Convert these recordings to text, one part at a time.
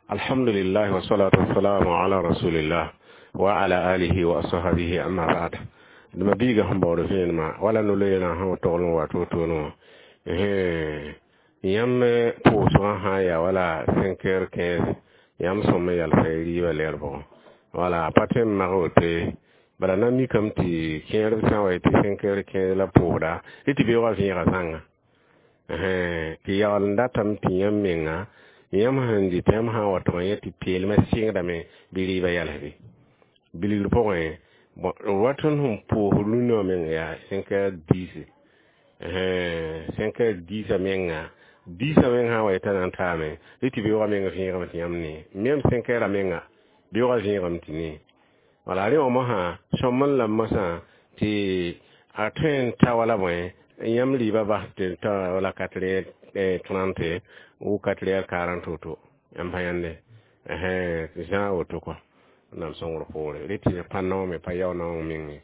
Alhamdulillah wa salatu wassalamu ala rasulillah wa ala alihi wa ashabihi, amma ba'd. Dma biiga sẽn baood vẽenemã wala no-loeerã sẽn wa togl n wa to-to wã, yãmb pʋʋsgã sã n yaa wala 5 heures 15, yãmb sõm n yalsa y rɩɩbã lɛɛr pʋgẽ. Wala pa tõe n mag woto, bala na mikame tɩ kẽerb sã n wa yetɩ 5 heures 15 la pʋʋsda, rɩ tɩ beoogã vẽega zãnga tɩ yaool n datame tɩ yãmb menga, yãmb sẽn dɩt, yãmb sã n wa tʋg n yẽ tɩ peelmã sɩngdame bɩ rɩɩbã yalsbe bilgr pʋgẽ. Bon, wat tõnd sẽn pʋʋs rũnã wã meng yaa 5 heures 10, 5 heures 10 a menga, 10 a meng sã n wa yetã na n taame, rɩ tɩ beoogã meng vẽegame tɩ yãmb nee même 5 heures a menga beoogã vẽegame tɩ nee. Wala rẽ wã mosã sõm n la mosã tɩ a tõe n ta wala bõe, yãmb rɩɩbã bas tɩ ta wala 4 heures 30 ou 4 heures 40 woto, yãmb pa yãnde zã woto kɔ. Wẽnnaam sõngr poore, rɩ tɩ pa naoome, pa yao naoong menge.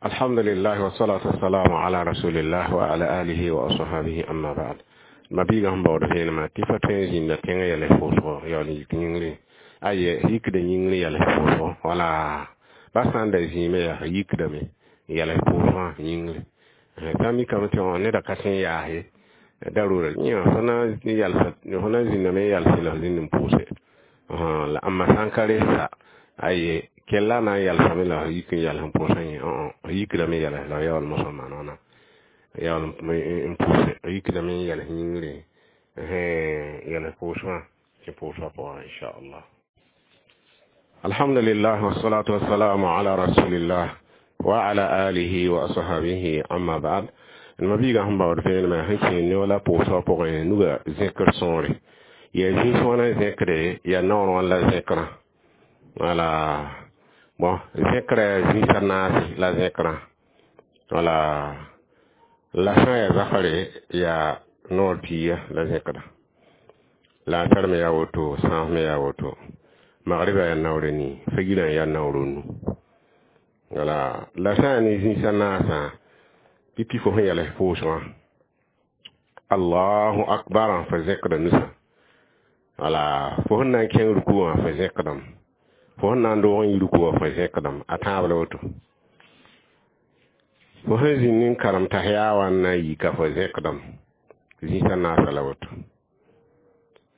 Alhamdulillah wa salatu wassalamu ala rasulillah wa ala alihi wa ashabihi, amma ba'd. Ma biiga sẽn baood vẽenemã tɩ fa tõe n zĩnda tẽngã yɛls pʋʋsgo yaool n yik yĩngri, aye, yikda yĩngri yɛls pʋʋsgo. Wala ba sã n da zĩime yaa yikdame yɛls pʋʋsgã yĩngri, sã n mikame tɩ neda ka tõe n yaase darura yẽ, fo na yalsa, fo na zĩndame n yalse la f zĩnd n pʋʋse la. Amma sã n ka resa, aye, kella na n yalsame la f yik n yals n pʋʋsã yẽ, f yikdame yɛls la f yaool mosã maan wãna yaool n pʋʋse, f yikdame n yɛls yĩngri yɛls pʋʋsgã tɩ pʋʋsgã pʋgã, inchallah. Alhamdulillah wassalatu wassalamu ala rasulillah wa ala alihi wa ashabihi, amma ba'd. Ma biiga sẽn baood vẽenemã sẽn kẽer ne wala pʋʋsgã pʋgẽ, nuga zẽkr sõore yaa zĩis wãna zẽkre, yaa naoor wãn la zẽkrã. Wala bon, zẽkrã yaa zĩis a naase la zẽkrã. Wala la sã n yaa zafare, yaa noor piiga la zẽkra, la a tar me yaa woto, sãas me yaa woto, magriba yaa naoor nii, fagirã yaa naoor nu. Wala la sã n yaa ne zĩis a naasã, pipi fo sẽn yɛls pʋʋsgã, allahu akbar, fo zẽkda nusã. Wala fo sẽn na n kẽng ruku wã, fo zẽkdame, fo sẽn na n doog n yi ruku wã, fo zẽkdame a tãab la woto. Fo sẽn zĩnd n karem tahiya wã n na n yika, fo zẽkdame zĩis a naasã la woto.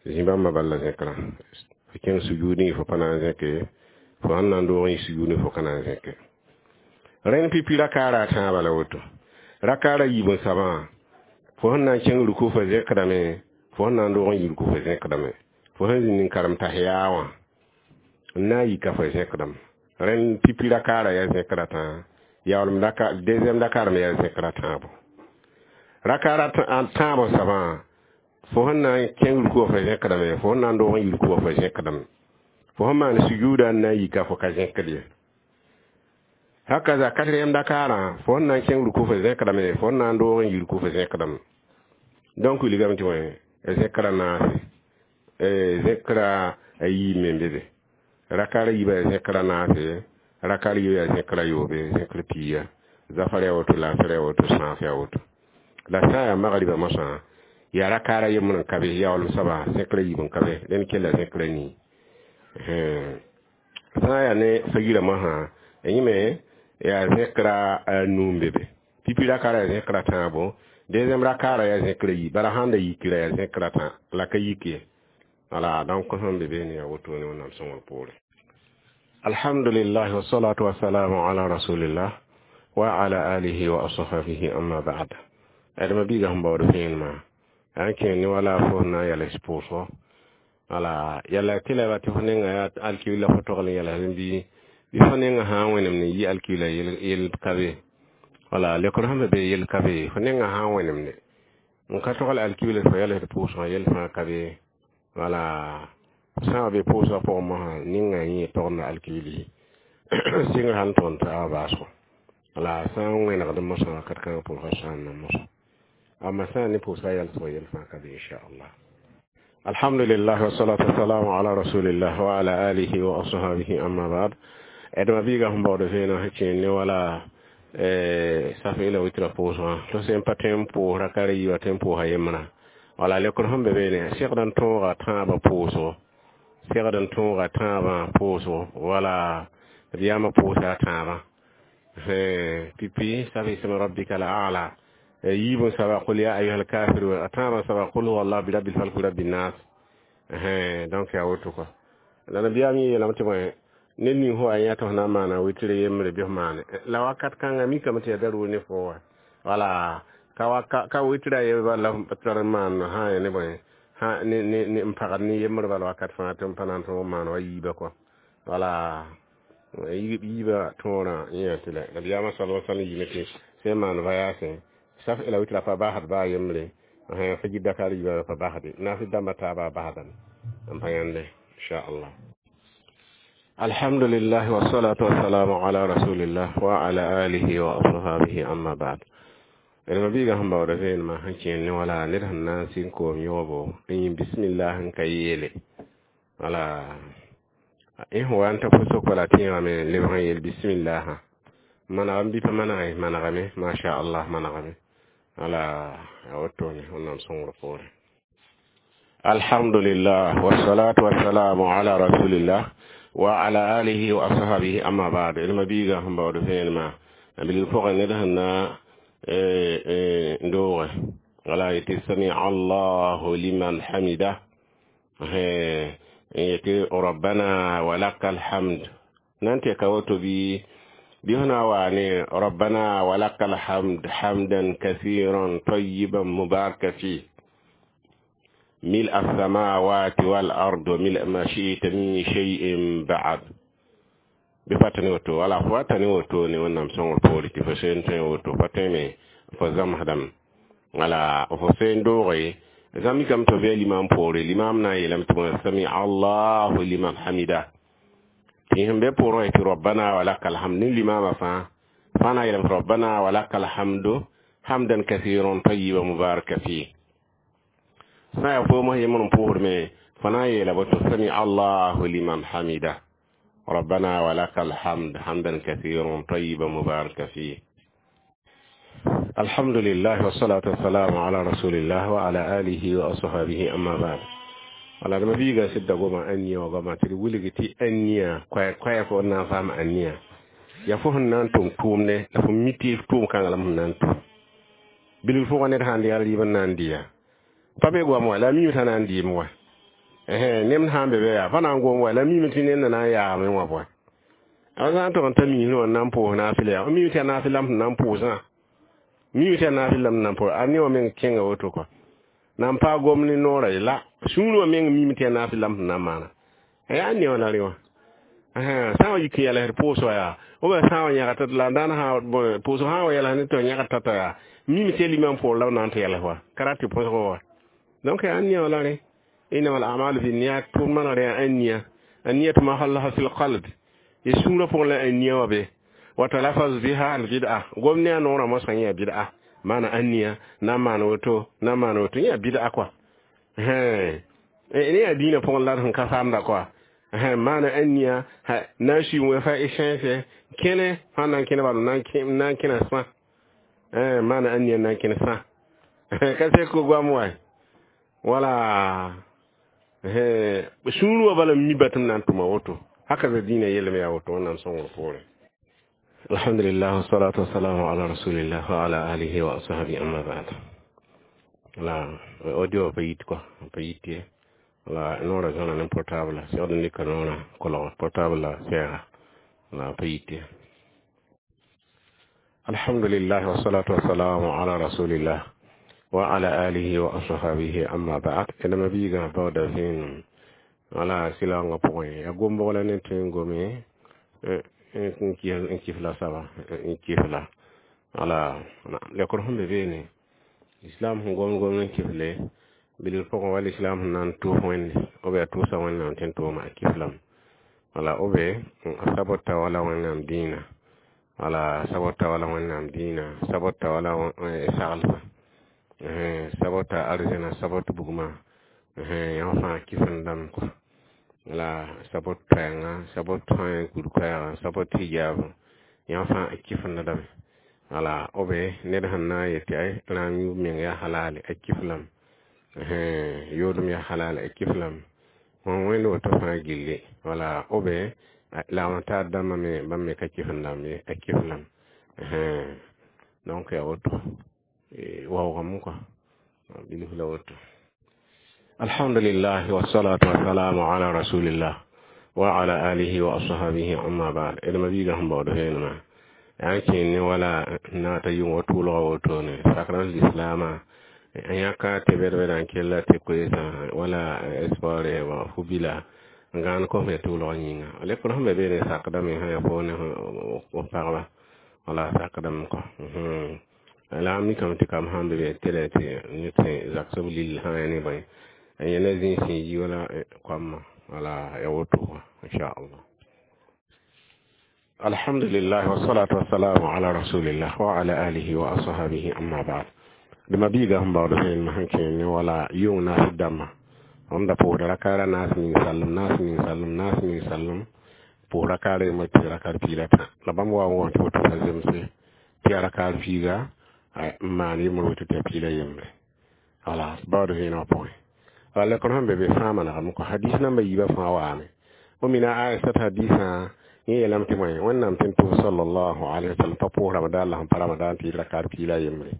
Zĩ bãmba bal la zẽkrã, fo kẽng sujudẽ, fo pa na n zẽke, fo sẽn na n doog n yi sujudẽ, fo ka na n zẽke. Rẽnd pipi rakaara a tãabã la woto, rakaara yiib n sabã, fo sẽn na n kẽng ruku, fo zẽkdame, fo sẽn na n doog n yi ruku, fo zẽkdame, fo sẽn zĩnd n karem tahiya wã n na n yika, fo zẽkdame. Rẽnd pipi rakaara yaa zẽkra tãa, yaoolem raka deuxième rakaar me yaa zẽkra tãabo. Rakaara tãabo sabã, fo sẽn na n kẽng ruku wã, fo zẽkdame, fo sẽn na n doog n yi ruku wã, fo zẽkdame, fo sẽn maan sujuuda n na n yika, fo ka zẽkd ye. Hakaza quatrième rakaarã, fo sẽn na n kẽng ruku, fo zẽkdame, fo sẽn na n doog n yi ruku, fo zẽkdame. Donc wilgame tɩ wẽ zẽkra naase, zẽkra a yiib me n be be. Rakaara yiibã yaa zẽkra naase, rakaar yiibã yaa zẽkra yoobe, zẽkr piiga, zafar yaa woto, laasar yaa woto, sãas yaa woto. La sã n yaa magriba mosã, yaa rakaara yembr n ka be, yaoolem soaba zẽkra yiib n ka be, rẽnd kella zẽkra nii. Sã n yaa ne fagirã mosã, yẽ me yaa zẽkra nu n be be. Pipi rakaara yaa zẽkra tãabo, deuxième rakaara yaa zẽkra yiib, bala sãn da yikra yaa zẽkra tã la ka yik ye. Wala donc sẽn be be ne yaa woto ne Wẽnnaam sõngr poore. Alhamdulillah wassalatu wassalamu ala rasulillah wa ala alihi wa ashabihi, amma ba'd. Adama biiga sẽn baood vẽenemã n kẽer ne wala fo sẽn na n yɛls pʋʋsgo. Wala yɛla tɩ la tɩ fo nenga yaa alkiwla, fo togl n yɛls bɩ fo nenga sã n wẽnemd n yi alkiwla yel ka be. Wala lekr sẽn be yel ka be, fo nenga sã n wẽnemde n ka togl alkiwla, fo yɛls pʋʋsgã, yel fãa ka be. Wala sã n be pʋʋsgã pʋgẽ mosã, ninga yẽ togenda alkiwli sɩngr sãn tõnd t'a baasgo. Wala sã n wẽnegd mosã wakat kãngã pʋʋsgã sã n na mosã, amma sã n ne pʋʋsgã yɛlsgo, yel fãa ka be, inchallah. Alhamdulillah wassalatu wassalamu ala rasulillah wa ala alihi wa ashabihi, amma ba'd. Adama biiga sẽn baood vẽeneg sẽn kẽer ne wala safe la witra pʋʋsgã, tɩ sẽn pa tõe n pʋʋs rakara yiibã, tõe n pʋʋsa yembrã. Wala lekr sẽn be beene segd n tõoga tãabã pʋʋsgo, segd n tõoga tãabã pʋʋsgo. Wala d yaama pʋʋsa a tãabã pipi sabi isma rabbika al a'la yiib n saba qul ya ayuha alkafirun, a tãabã saba qul huwa allah bi rabbil falq bi rabbin nas. Donc yaa woto kɔ. La nabiyaam yẽ yeelame tɩ bõe ned ning fo wa yã tɩ f na n maana wɩtr yembre bɩ f maane la wakat kãngã mikame tɩ yaa daruur ne fo wa. Wala ka wɩtra ye bala tar n maan sã ya ne bõe ne n pagd ne yembr bala wakat fãa tɩ n pa na n tõog n maan wa yiibã kɔ. Wala yiibã tõorã yẽ tɩ la nabiyaamã sal sal yɩme tɩ sẽn maan voyage saf la wɩtra pa basd baa yembre fajir dakar yiibã pa basde naafɩ dãmbã taabã basdame n pa yãnde inchallah. Alhamdulillah wassalatu wassalamu ala rasulillah wa ala alihi wa ashabihi, amma ba'd. D mabiigã sẽn baooda vẽenemã sẽn kẽer ne wala ned sẽn na n sɩng koom yõobo n yĩm bismillah n ka yeele. Wala y sẽn wa n ta pʋsg wala tẽegame lebg n yeel bismillah manegame bɩ pa manege, manegame masha allah, manegame. Wala a wotone wẽnnaam sõngr poore. Alhamdulillah wassalatu wassalamu ala rasulillah wa ala alihi wa ashabihi, amma ba'd. D mabiigã sẽn baood vẽenemã a bilg pʋgẽ ned sẽn na n dooge wala yetɩ sami allahu liman hamida n yetɩ rabbana walaka alhamd nan tɩ ka woto bɩ fo na wa ne rabbana walaka alhamd hamdan kathiran tayiban mubaraka fi ملء السماوات والأرض وملء ما شئت من شيء بعد bɩ pa tẽ woto. Wala fo wa ta ne woto ne wẽnnaam sõngr poore tɩ fo seen tõe woto pa tõeme fo zãmsdame. Wala fo seen dooge zãmb mikame tɩ f bɩa limam poore, limam na n yeelame tɩ bõe sami allahu liman hamida tɩ sẽn be poorẽ tɩ rabbana walaka alhamd ne limamã fãa fãa na n yeelame tɩ rabbana walaka alhamdu hamdan kathiran tayiban mubaraka fi sã n yaa foomã yembr n pʋʋsdme fo na n yeela boto sami allahu liman hamida ربنا ولك الحمد حمدا كثيرا طيبا مباركا فيه. الحمد لله والصلاة والسلام على رسول الله وعلى آله وأصحابه، أما بعد. Wala dama biiga sɩda goma ãniya wa goama tɩ d wilg tɩ ãniya koɛɛ fo na n faam ãniya yaa fo sẽn na n tʋm tʋʋmdɛ la fo mi tɩ tʋʋm kãngã la m sẽn na n tʋm bilg pʋgã ned sãn dɩ rɩɩb n na n dɩ ya pa be goam wa la a miime t'a na n dɩɩm wa nem sã n be be yaa pa na n gom wa la miime tɩ ned na na n yaame wã bõe a sã n tog n ta miisẽ wã n na n pʋʋs naafɩla yaa miime tɩ yaa naafɩ lam sẽn na n pʋʋsã miime tɩ yaa naafɩ lam sẽn na n pʋʋs a ne wã meng kẽnga woto kɔ na n paag gom ne noorã ye la sũur wã meng miime tɩ yaa naafɩ lam sẽn na n maana yaa ne wã la rẽ wã sã n wa yik n yɛlsd pʋʋs wa yaa b sã n wa yãgd la n daan pʋʋsg sã n wa yɛls ne tɩ yãgd tata yaa miime tɩ yaa limam poor la b na n tɩ yɛls wa ka rat tɩ põsg wa. Donc yaa ne wã la rẽ إنما الأعمال بالنيات ثم النية النية محلها في القلب يسورة فوق النية وبه وتلفظ بها البدعة قمنا نورا مسخن بدعة معنى النية نما نوتو نما نوتو يا بدعة كوا ها ne addini pʋgẽ la sẽn ka samda kɔa maana ãniya na n sui wẽfa sẽnse kẽne sã n na n kẽne bala na n kẽna sã maana ãniya na n kẽne sã ka sek goam wa wala sũur wã bala mi batɩm na n tʋma woto haka za dĩinã yellame yaa woto wẽnnaam sõngr poorẽ. Alhamdulillah wassalatu wassalamu ala rasulillah wa ala alihi wa ashabi, amma ba'd. La audio pa yit kɔ pa yit ye la noorã zõna ne portable segd n lika noorã kolg portable la sɛɛga la pa yit ye. Alhamdulillah wassalatu wassalamu ala rasulillah wa ala alihi wa ashabihi, amma ba'd. Ẽdame biigã baooda vẽenem wala sɩlaoongã pʋgẽ ya gom-bogla ne tõe n gome n kɩf la saba n kɩf la wala lekr sẽn be beene islam sẽn gom gom n kɩfle bilg pʋgẽ wala islam sẽn na n tʋʋs wẽnde b yaa tʋʋsa wẽnnaam tɩ n tʋʋma a kɩflame wala b sabota wala wẽnnaam dĩinã wala sabota wala wẽnnaam dĩinã sabota wala saglsã sabota arzẽna sabot bugmã yã fãa kɩfendame kɔa la sabot koɛɛngã sabot tõe kur-koɛɛgã sabot hijab yã fãa kɩfendame wala b ned sẽn na n yet tɩ ay rãam yũub meng yaa halale a kɩflame. Yoodem yaa halal a kɩf lame. Wã wẽnd woto fãa gilli wala b la wã taar dãmbã me bãmb me ka kɩf n dãmb ye, a kɩf lame. Donc yaa woto waoogame kɔa bilf la woto. Alhamdulillah wassalatu wassalamu ala rasulillah wa ala alihi wa ashabihi, amma ba'd. D ma-biigã sẽn baood vẽenemã yaa n kẽen ne wala n na ta yʋng wa tʋʋlga wotone sakr lislaamã n yãka tɩ bɛd-bɛda n kella tɩ koeesã wala sport fu-bila n gãan kos me tʋʋlg yĩnga lekr sẽn be beene sakdame sã yaa fo ne f pagba wala sakdame kɔ. La a mikame tɩ kam sãn be be tɩ tɩ ned sẽn zagsb lill sã ya ne bõe n yẽla zĩig sẽn yi wala koamã wala ya woto inchallah. Alhamdulillah wassalatu wassalamu ala rasulillah wa ala alihi wa ashabihi, amma ba'd. D ma-biigã sẽn baood vẽenemã sẽn kẽer ne wala yʋng naas dãmbã b da pʋʋsda rakaara naas ning sallem, naas ning sallem, naas ning sallem, pʋʋs rakaara yembr tɩ rakar piig la tã la bãmb wa n wõs tɩ woto pa zemse tɩ yaa rakar piiga n maan yembr woto tɩ yaa piig la yembre wala baood vẽenemã pʋgẽ. Wala lekr sẽn be be fãa manegame kɔ hadis namba yiibã fãa waame fo mina Aisat hadisã yẽ yeelame tɩ bõe Wẽnnaam tɩ n tʋs sallallahu alaihi wasallam pa pʋʋs Ramadan la sẽn pa Ramadan tɩ yɩ rakar piig la yembre.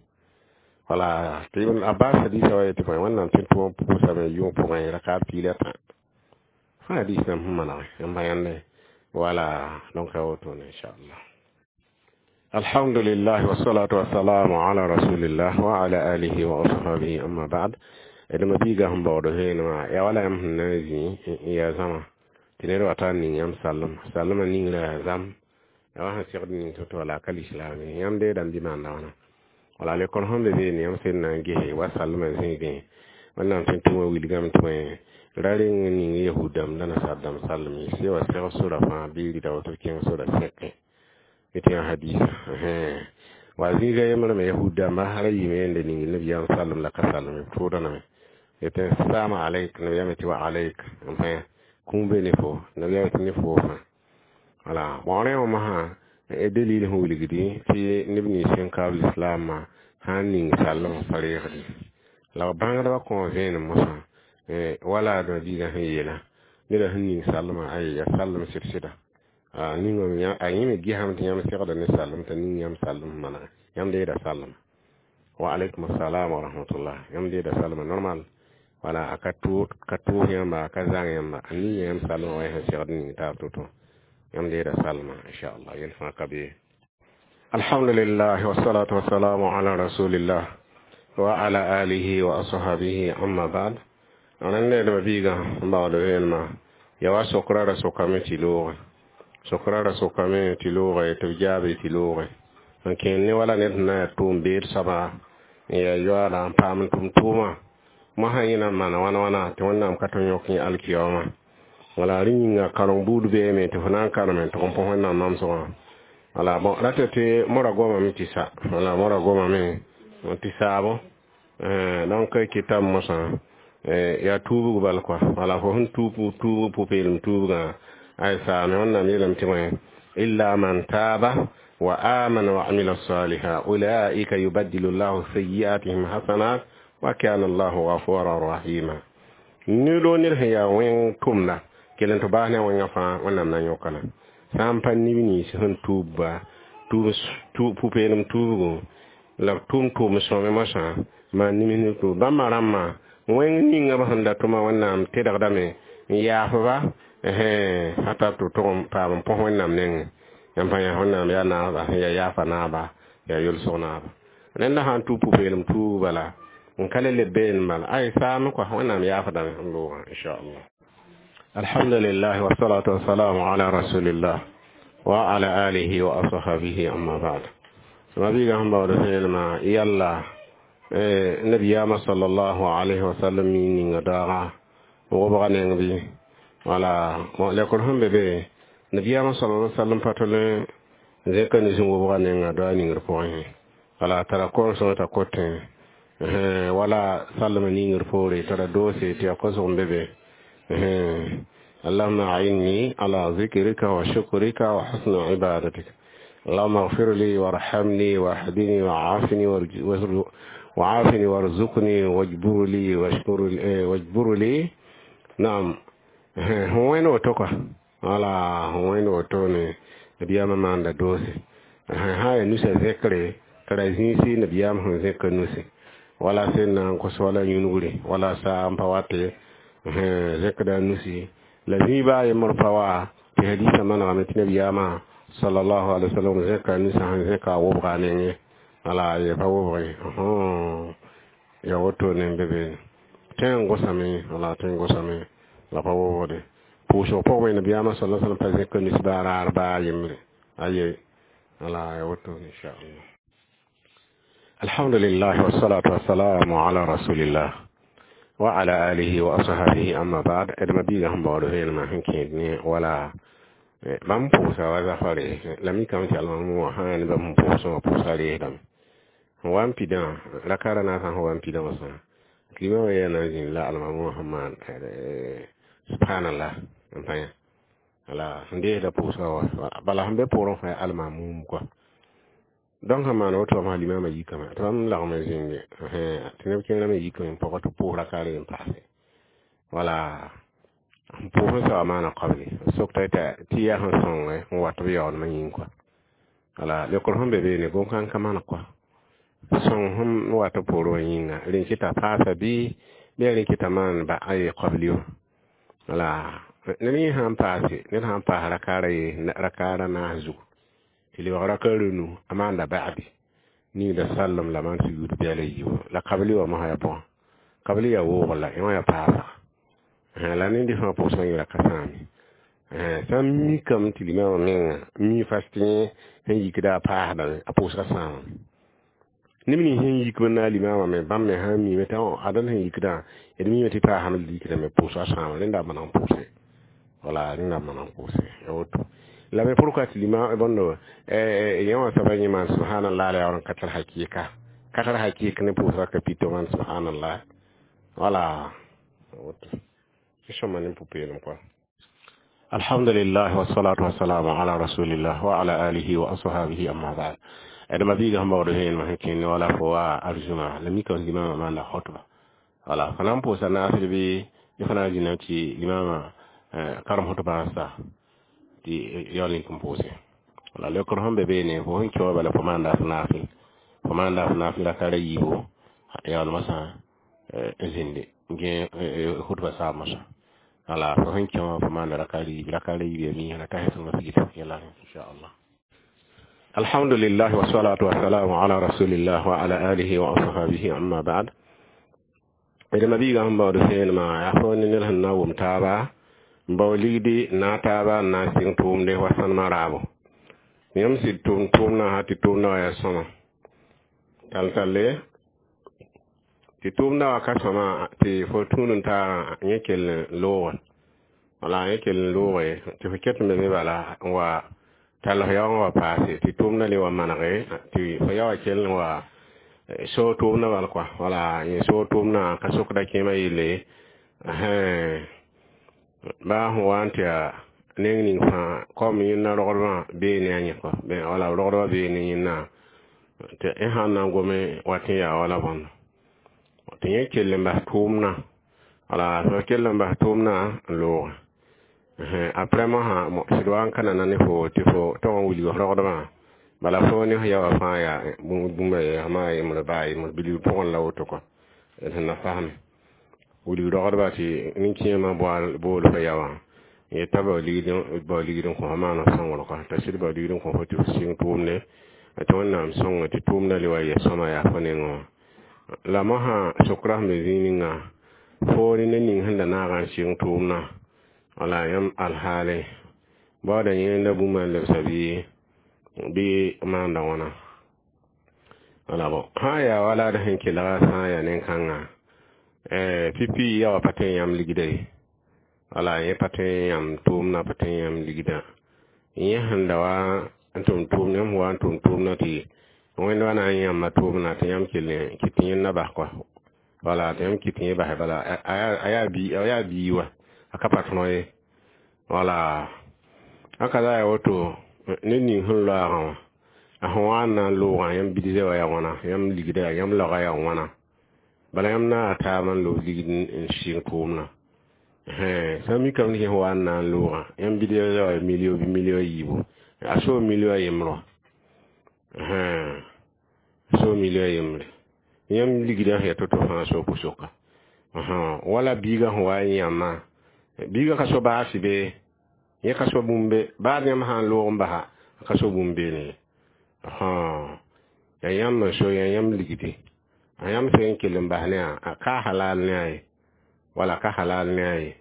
Wala tɩ Ibn Abbas hadisa wa yetɩ bõe Wẽnnaam tɩ n tʋm pʋʋsame yʋng pʋgẽ rakar piig la tã fãa hadis nam sẽn manege n pa yãnde wala. Donc a wotone inchallah. Alhamdulillah wassalatu wassalamu ala rasulillah wa ala alihi wa ashabihi, amma ba'd. D ma-biigã sẽn baood vẽenemã yaa wala yãmb sẽn na n zĩ n yaa zãma tɩ ned wa tar ning yãmb sallem sallmã ningrã yaa zãm yaa wa sẽn segd ning to-to wala ka lislaam ye yãmb deedame bɩ maanda wãna wala lekor sẽn be beene yãmb sẽn na n gese wa sallmã zĩigẽ Wẽnnaam tɩ n tʋma wilgame tɩ bõe ra reng n ning yahud dãmb la nasaar dãmb sallem ye sɩ wa seg sora fãa bɩ rɩda woto kẽng sora sẽkẽ tɩ yã hadisa wa zĩiga yembrã me yahud dãmba ra yɩɩme yende ning nabiyaam sallem la ka sallem b tʋʋdaname yetɩ salamu alayk nabiyaam tɩ wa alayk n pẽ kũum be ne fo nabiyaam tɩ ne fo fãa wala. Bon, rẽ wã masã dalil sẽn wilgdi tɩ neb nins sẽn kaab lislaamã sã n ning sallem pa reegdi la b bãngdbã kõ vẽenem mosã wala d biigã sẽn yeela neda sẽn ning sallmã ay ya sallem sɩd-sɩda ning a yẽ me gesame tɩ yãmb segda ne sallem t'a ning yãmb sallem manege yãmb deeda sallem wa alaikum assalam wa rahmatullah yãmb deeda sallema normal wala a ka tʋʋs yãmba a ka zãng yãmba a ning yãmb sallema wa sẽn segd ning taab to-to yãmb deeda sallma inchallah yel fãa ka be. Alhamdulillah wassalatu wassalamu ala rasulillah wa ala alihi wa ashabihi, amma ba'd. Rẽnd d biigã n baood vẽenemã yaa wa sokra ra sokame tɩ loogẽ sokra ra sokame tɩ loogẽ tɩ b jaabe tɩ loogẽ n kẽer ne wala ned sẽn na yaa tʋʋm beed soaba n yaa yoaada n paam n tʋm tʋʋmã mosã yẽ na n maana wãna wãna tɩ Wẽnnaam ka tõe n yõk yẽ alkiyaoomã wala rẽ yĩnga kareng buud beeme tɩ fo na n kareme n tʋg n põ Wẽnnaam namsgã wala. Bon, rata tɩ mora gomame tɩ sa wala mora gomame tɩ saabo donc kɩtame mosã yaa tuubg bal kɔa wala fo sẽn tuub tuubg pʋ-peelem tuubgã ay saame Wẽnnaam yeelame tɩ bõe illa man taaba wa amana wa amila saliha ulaika yubaddilu llahu sayiatihim hasanat wa kana allahu ghafuran rahima. Nilo ned sẽn yaa wẽng tʋmda kell n tɩ baas ne a wẽngã fãa Wẽnnaam na n yõka la sã n pa neb nins sẽn tuubba pʋ-peelem tuubgo la b tʋm tʋʋm sõme mosã maan nims ne tʋʋm bãmba rãmbã wẽng ninga b sẽn da tʋma Wẽnnaam tedgdame n yaafba sã tar tɩ b tʋg n paam n põs Wẽnnaam nengẽ yãmb pa yã Wẽnnaam yaa naaba sẽn yaa yaafa naaba yaa yolsg naaba rẽnda sã n tʋ pʋ-peelem tuub bala n ka le leb been bala ay saame kɔa Wẽnnaam yaafdame n loogã inchallah. Alhamdulillah wassalatu wassalamu ala rasulillah wa ala alihi wa ashabihi, amma ba'd. Ma biiga sẽn baood vẽenemã yalla nabiyama sallallahu alaihi wasallam mi ninga daaga wobga neng bɩ wala. Lekr sẽn be be nabiyama sallallahu alaihi wasallam pa tole zẽka ne zĩ wobga nenga doa ningr pʋgẽ wala tara kor-sõng t'a kotẽ wala sallma ningr poore tara doose tɩ yaa kosg n be be. اللهم أعني على ذكرك وشكرك وحسن عبادتك، اللهم اغفر لي وارحمني واهدني وعافني. وعافني وارزقني واجبر لي واشكر واجبر لي. Naam, wẽnd woto kɔa, wala wẽnd woto ne nabiyaamã maanda doose sã yaa nusa zẽkre t'a ra zĩisi nabiyaam sẽn zẽk nusi wala sẽn na n kos wala yũnugre wala saa n pa wate zẽkda nusi la zĩiba a yembr pa wa tɩ hadisa manegame tɩ nabiyaamã sallallahu alaihi wasallam zẽka nusã sẽn zẽka a wobga a nengẽ wala ye pa wobge ya woto ne n be beene tẽ n gosame wala tẽ n gosame la pa wobgde pʋʋsg pʋgẽ nabiyaamã sallallahu alaihi wasallam pa zẽka nus baa raar baa yembre aye wala ya woto inchallah. Alhamdulillah, wassalatu wassalamu ala rasulillah wa ala alihi wa ashabihi, amma ba'd. D ma biiga sẽn baood vẽenemã sẽn kẽed ne wala bãmb pʋʋsa wa zafare la mikame tɩ almamẽ wã sã ne bãmb sẽn pʋʋsẽ wã pʋʋsa reesdame sẽn wa n pidã rakara naasã sẽn wa n pidã wã sã tɩ limam wã yaa na n zĩnd la almamẽ wã sẽn maan subhanallah n pa yã wala sẽn deesda pʋʋsga wa bala sẽn be poorẽ fãa almamum kɔa. Donc sẽn maan woto wã limamã yikame tɩ bãmb lagm n zĩnge tɩ neb kẽerã me yikame n pɔgɔ tɩ pʋʋs rakaare n paase wala n pʋʋs n soaba maana qabli sokta tɩ yaa sẽn sõnge n wat b yaoodmã yĩng kɔa wala leokr sẽn be beene gom-kãng ka maan kɔa sõng sẽn wat b poorẽ wã yĩnga rẽn kɩta paasa bɩ rẽ kɩta maan ba a ye qabli wã wala ned yẽ sãn paase ned sãn paas rakaara ye rakaara naas zugu tɩ lebg rakaara nu a maanda ba'di ningda sallem la maan sugd bɛla yiibu la qabli wã mosã yaa pʋgã qabli yaa woogr la yẽ wã yaa paasga la ned fãa pʋʋsgã yẽra ka sãame sã n mikame tɩ limamã menga mi fas tɩ yẽ sẽn yikda a paasdame a pʋʋsgã sãamame neb nins sẽn yik b na limamã me bãmb me sã n miime tɩ adal sẽn yikdã d miime tɩ paasame yikdame pʋʋsgã sãama rẽnda a maneg n pʋʋse wala rẽnda a maneg n pʋʋse ya woto la me pourquoi tɩ lima bõndo yẽ wã soaba yẽ maan subhanallah la yaool n ka tar hakɩɩka ka tar hakɩɩk ne pʋʋsga ka pito maan subhanallah wala woto sõma ne pʋ-peelem kɔa. Alhamdulillah, wassalatu wassalamu ala rasulillah wa ala alihi wa ashabihi, amma ba'd. D ma biiga sẽn baood vẽenemã sẽn kẽnd wala fo wa arzuma la mika limamã maanda khutba wala fo na n pʋʋsa naasd bɩ y fo na n zĩna tɩ limamã karem khutbã n sa tɩ yaool n pʋʋse wala leokr sẽn be beene fo sẽn kẽ wã bala fo maanda f naafɩl fo maanda f naafɩl rakara yiibu yaoolmã sã n zĩnde gẽ khutba saab mosã wala fo sẽn kẽ wã fo maanda rakara yiib rakara yiib ya miisã la ta sẽn masgid yɛla inchallah. Alhamdulillah, wassalatu wassalamu ala rasulillah wa ala alihi wa ashabihi, amma ba'd. D ma biiga sẽn baood vẽenemã yaa fo ne ned sẽn na n wʋm taaba n bao ligdi n na taaba n na n sɩng tʋʋmde wa sãnemã raabo yãmb sɩd tʋʋm tʋʋmdã sã tɩ tʋʋmdã wã yaa sõma tall-talle tɩ tʋʋmdã wã ka sõma tɩ fo tũud n taagã yẽ kell n looge wala yẽ kell n looge tɩ fo ket n be be bala n wa tall f yaoogã wa paase tɩ tʋʋmdã le wa manege tɩ fo ya wa kell n wa soog tʋʋmdã bal kɔa wala yẽ soog tʋʋmdã ka sokda kẽemã yelle baa sẽn wa n tɩ yaa neng ning fãa kom yẽnda rogdbã bee ne a yẽ kɔ wala rogdbã bee ne yẽnda tɩ y sãn na n gome wat n yaa wala bõndo tɩ yẽ kell n bas tʋʋmdã wala fo kell n bas tʋʋmdã n looge après mosã sɩd wa n ka nana ne fo tɩ fo tog n wilg f rogdbã bala fo ne f ya wã fãa yaa bũmba ye maa yembr baa yembr bilg pʋgẽ la woto kɔ d sẽn na fasme wilg rogdba tɩ nin-kẽemã bool fo ya wã yeta bao ligd n kõ fo maan f sõngr kɔ t'a sɩd bao ligd n kõ fo tɩ f sɩng tʋʋmde tɩ Wẽnnaam sõnge tɩ tʋʋmdã le wa yɛ sõma yaa fo nengẽ wã la mosã sokra sẽn be zĩig ninga fo ne ned ning sẽn da naagã n sɩng tʋʋmdã wala yãmb alhaale baooda yẽnda bũmba n lebsa bɩ bɩ maanda wãna wala bõ sã n yaa wala d sẽn kelga sã n yaa nen-kãngã pipi ya wa pa tõe n yãmb ligda ye wala yẽ pa tõe n yãmb tʋʋmdã pa tõe n yãmb ligdã yẽ sẽn da wa n tʋm tʋʋmd yãmb wa n tʋm tʋʋmdã tɩ Wẽnd wa na n yãmba tʋʋmdã tɩ yãmb kell n kɩt tɩ yẽnda bas kɔa wala tɩ yãmb kɩt tɩ yẽ basɛ bala a yaa bii wa a ka pa tõog ye wala a ka la yaa woto ned ning sẽn loaagã wã A sẽn wa n na n loogã, yãmb bidza wã yaa wãna, yãmb ligda yaa, yãmb laoga yaa wãna. Bala yãmb na taabã n lob ligd n sɩng tʋʋmdã. Sã n mikame tɩ yẽ sẽn wa n na n loogã, yãmb bidza wã yaa milio bɩ milio a yiibu, a soo milio a yembr wã. Soo milio a yembre. Yãmb ligdã sẽn yaa to-to fãa soo pʋ-soka. Wala biigã sẽn wa n yãmbã, biigã ka so baasi be, yẽ ka so bũmb be, baa yãmb sã n loog n basa, a ka so bũmb beene ye. Yaa yãmb n so, yaa yãmb ligdi. A yãmb sẽn kell n bas ne a ka halal ne a ye, wala ka halal ne a ye.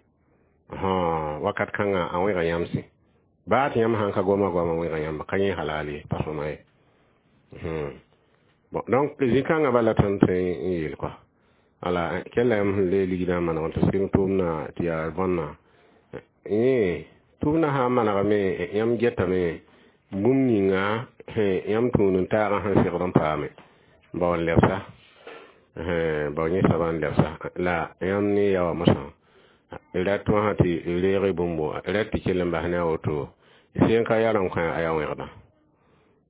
Wakat kãngã a wẽga yãmsẽ. Baa tɩ yãmb sãn ka goma goamã wẽga yãmb, ka yẽ halal ye, pa sõma ye. Bon, donc zĩ-kãngã bala tõnd tõe n yeel kɔa. Wala kɛla yãmb sẽn lee ligdã n maneg n tɩ sɩng tʋʋmdã tɩ yaa võnna. Yẽ tʋʋmdã sã n manegame, yãmb getame bũmb ninga yãmb tũud n taagã sẽn segd n paame, bao n lebsa, bao yẽ soaba n lebsa la yãmb ne ya wã mosã rat wã tɩ reeg bũmbo, rat tɩ kell n bas ne a woto, sẽn ka yar n kõ a yaa wẽgda.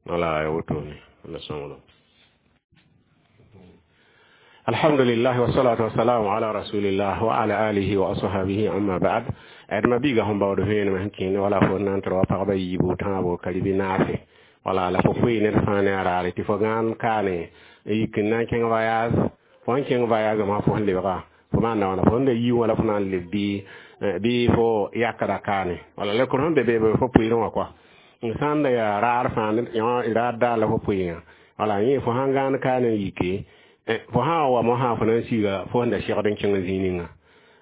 Wala ya wotone la sõngdo. Alhamdulillah wa salatu wa salamu ala rasulillah wa ala alihi wa ashabihi, amma ba'd. Ad ma biga sẽn baood vẽenem sẽn kẽne wala fo na n tɩ wa pagba yiibu, tãabo, karibi naase, wala la fo poe ned fãa ne a raare tɩ fo gãan kaane n yik n na n kẽng voyage. Fo sẽn kẽng voyage wã, fo sẽn lebga, fo maanda wãna, fo sẽn da yii wã la fo na n leb bɩ fo yakda kaane, wala la sẽn be beebe fo pʋɩɩrẽ wã kɔa. Sã n da yaa raar fãa, raar daar la fo pʋɩɩngã, wala yẽ fo sãn gãan kaane n yike, fo sã n wa mosã, fo na n siga fo sẽn da segd n kẽng zĩig ninga.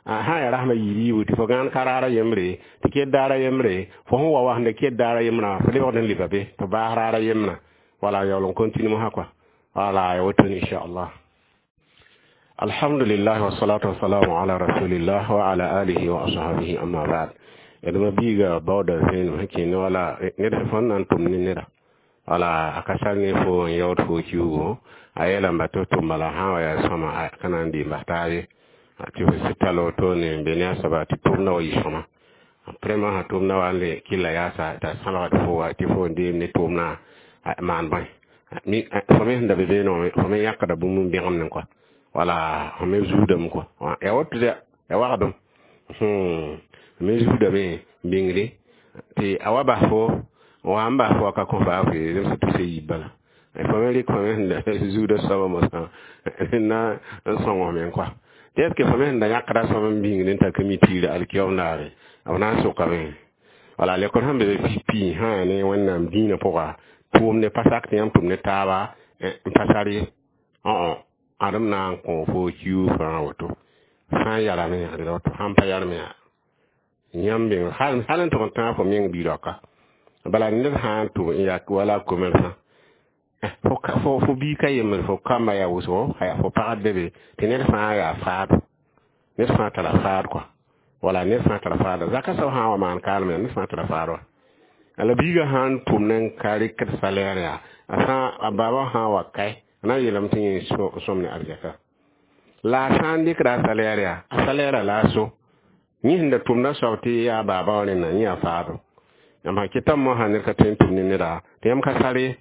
Sã n yaa rasmã yiib yiibu tɩ fo gãan ka raara yembre, tɩ ket daara yembre, fo sẽn wa wa sẽn da ket daara yembrã, fo lebgd n leba be tɩ baas raara yembrã, wala yaool n continue mosã kɔa. Wala ya woto inchallah. Alhamdulillah wa salatu wa salamu ala rasulillah wa ala alihi wa ashabihi, amma ba'd. D ma biiga baooda vẽenem sẽn kẽne, wala ned fõn na n tʋm ne neda, wala a ka sar ne fo n yaood fo kiugo, a yeelame tɩ f tʋm bala sã n wa yaa sõma, a ka na n dɩ n bas taabe tɩ f sɩ tall wotone n be ne a soaba tɩ tʋmdã wa yɩ sõma. Vraiment, sã tʋmdã wa n le kɩlla yaasa t'a sãbgd fo wa tɩ fo n deem ne tʋʋmdã maan bõe, fo me sẽn da be beene wã, fo me yãkda bũmb n bẽgemdẽ kɔa, wala fo me zuudame kɔa, ya woto ya wagdem me zuudame n bĩngde tɩ a wa bas fo wa n bas fo ka kõ baa fo zemsã tusa yiib bala, fo me rɩk fo me sẽn da zuudã soabã mosã na n sõng f me kɔa. Tɩ est ce que fo me sẽn da yãkda sõm n bĩngd n ta ka mi tiira alkiyoom daare b na n sʋkame? Wala lekr sẽn be be pipi sã yaa ne Wẽnnaam dĩinã pʋga, tʋʋmde pa sak tɩ yãmb tʋm ne taaba n pa sar ye. Ãdem na n kõ fo kiuug fãa woto, sã n yarame ad woto, sãn pa yarme yãmb meng hal n tʋg n tãag fo meng bi-raoka. Bala ned sã n tʋm n yaa wala commerçant, fo biig ka yembre, fo kamba yaa wʋsgo, fo pagd be be tɩ ned fãa yaa faado, ned fãa tara faad kɔa, wala ned fãa tara faada. Zaka soab sã n wa maan kaalme, ned fãa tara faad wa. La biigã sã n tʋm ne n ka rɩkd salaire yaa, a sã a baaba sã n wa kae, a na n yeelame tɩ yẽ sõm ne arzɛka. La a sã n dɩkda a salaire yaa, a salaire la a so yẽ sẽn da tʋmda soab tɩ yaa baaba wã rẽnna, yẽ yaa faado. Yãmb sã kɩtame mosã ned ka tõe n tʋm ne neda tɩ yãmb ka sar ye,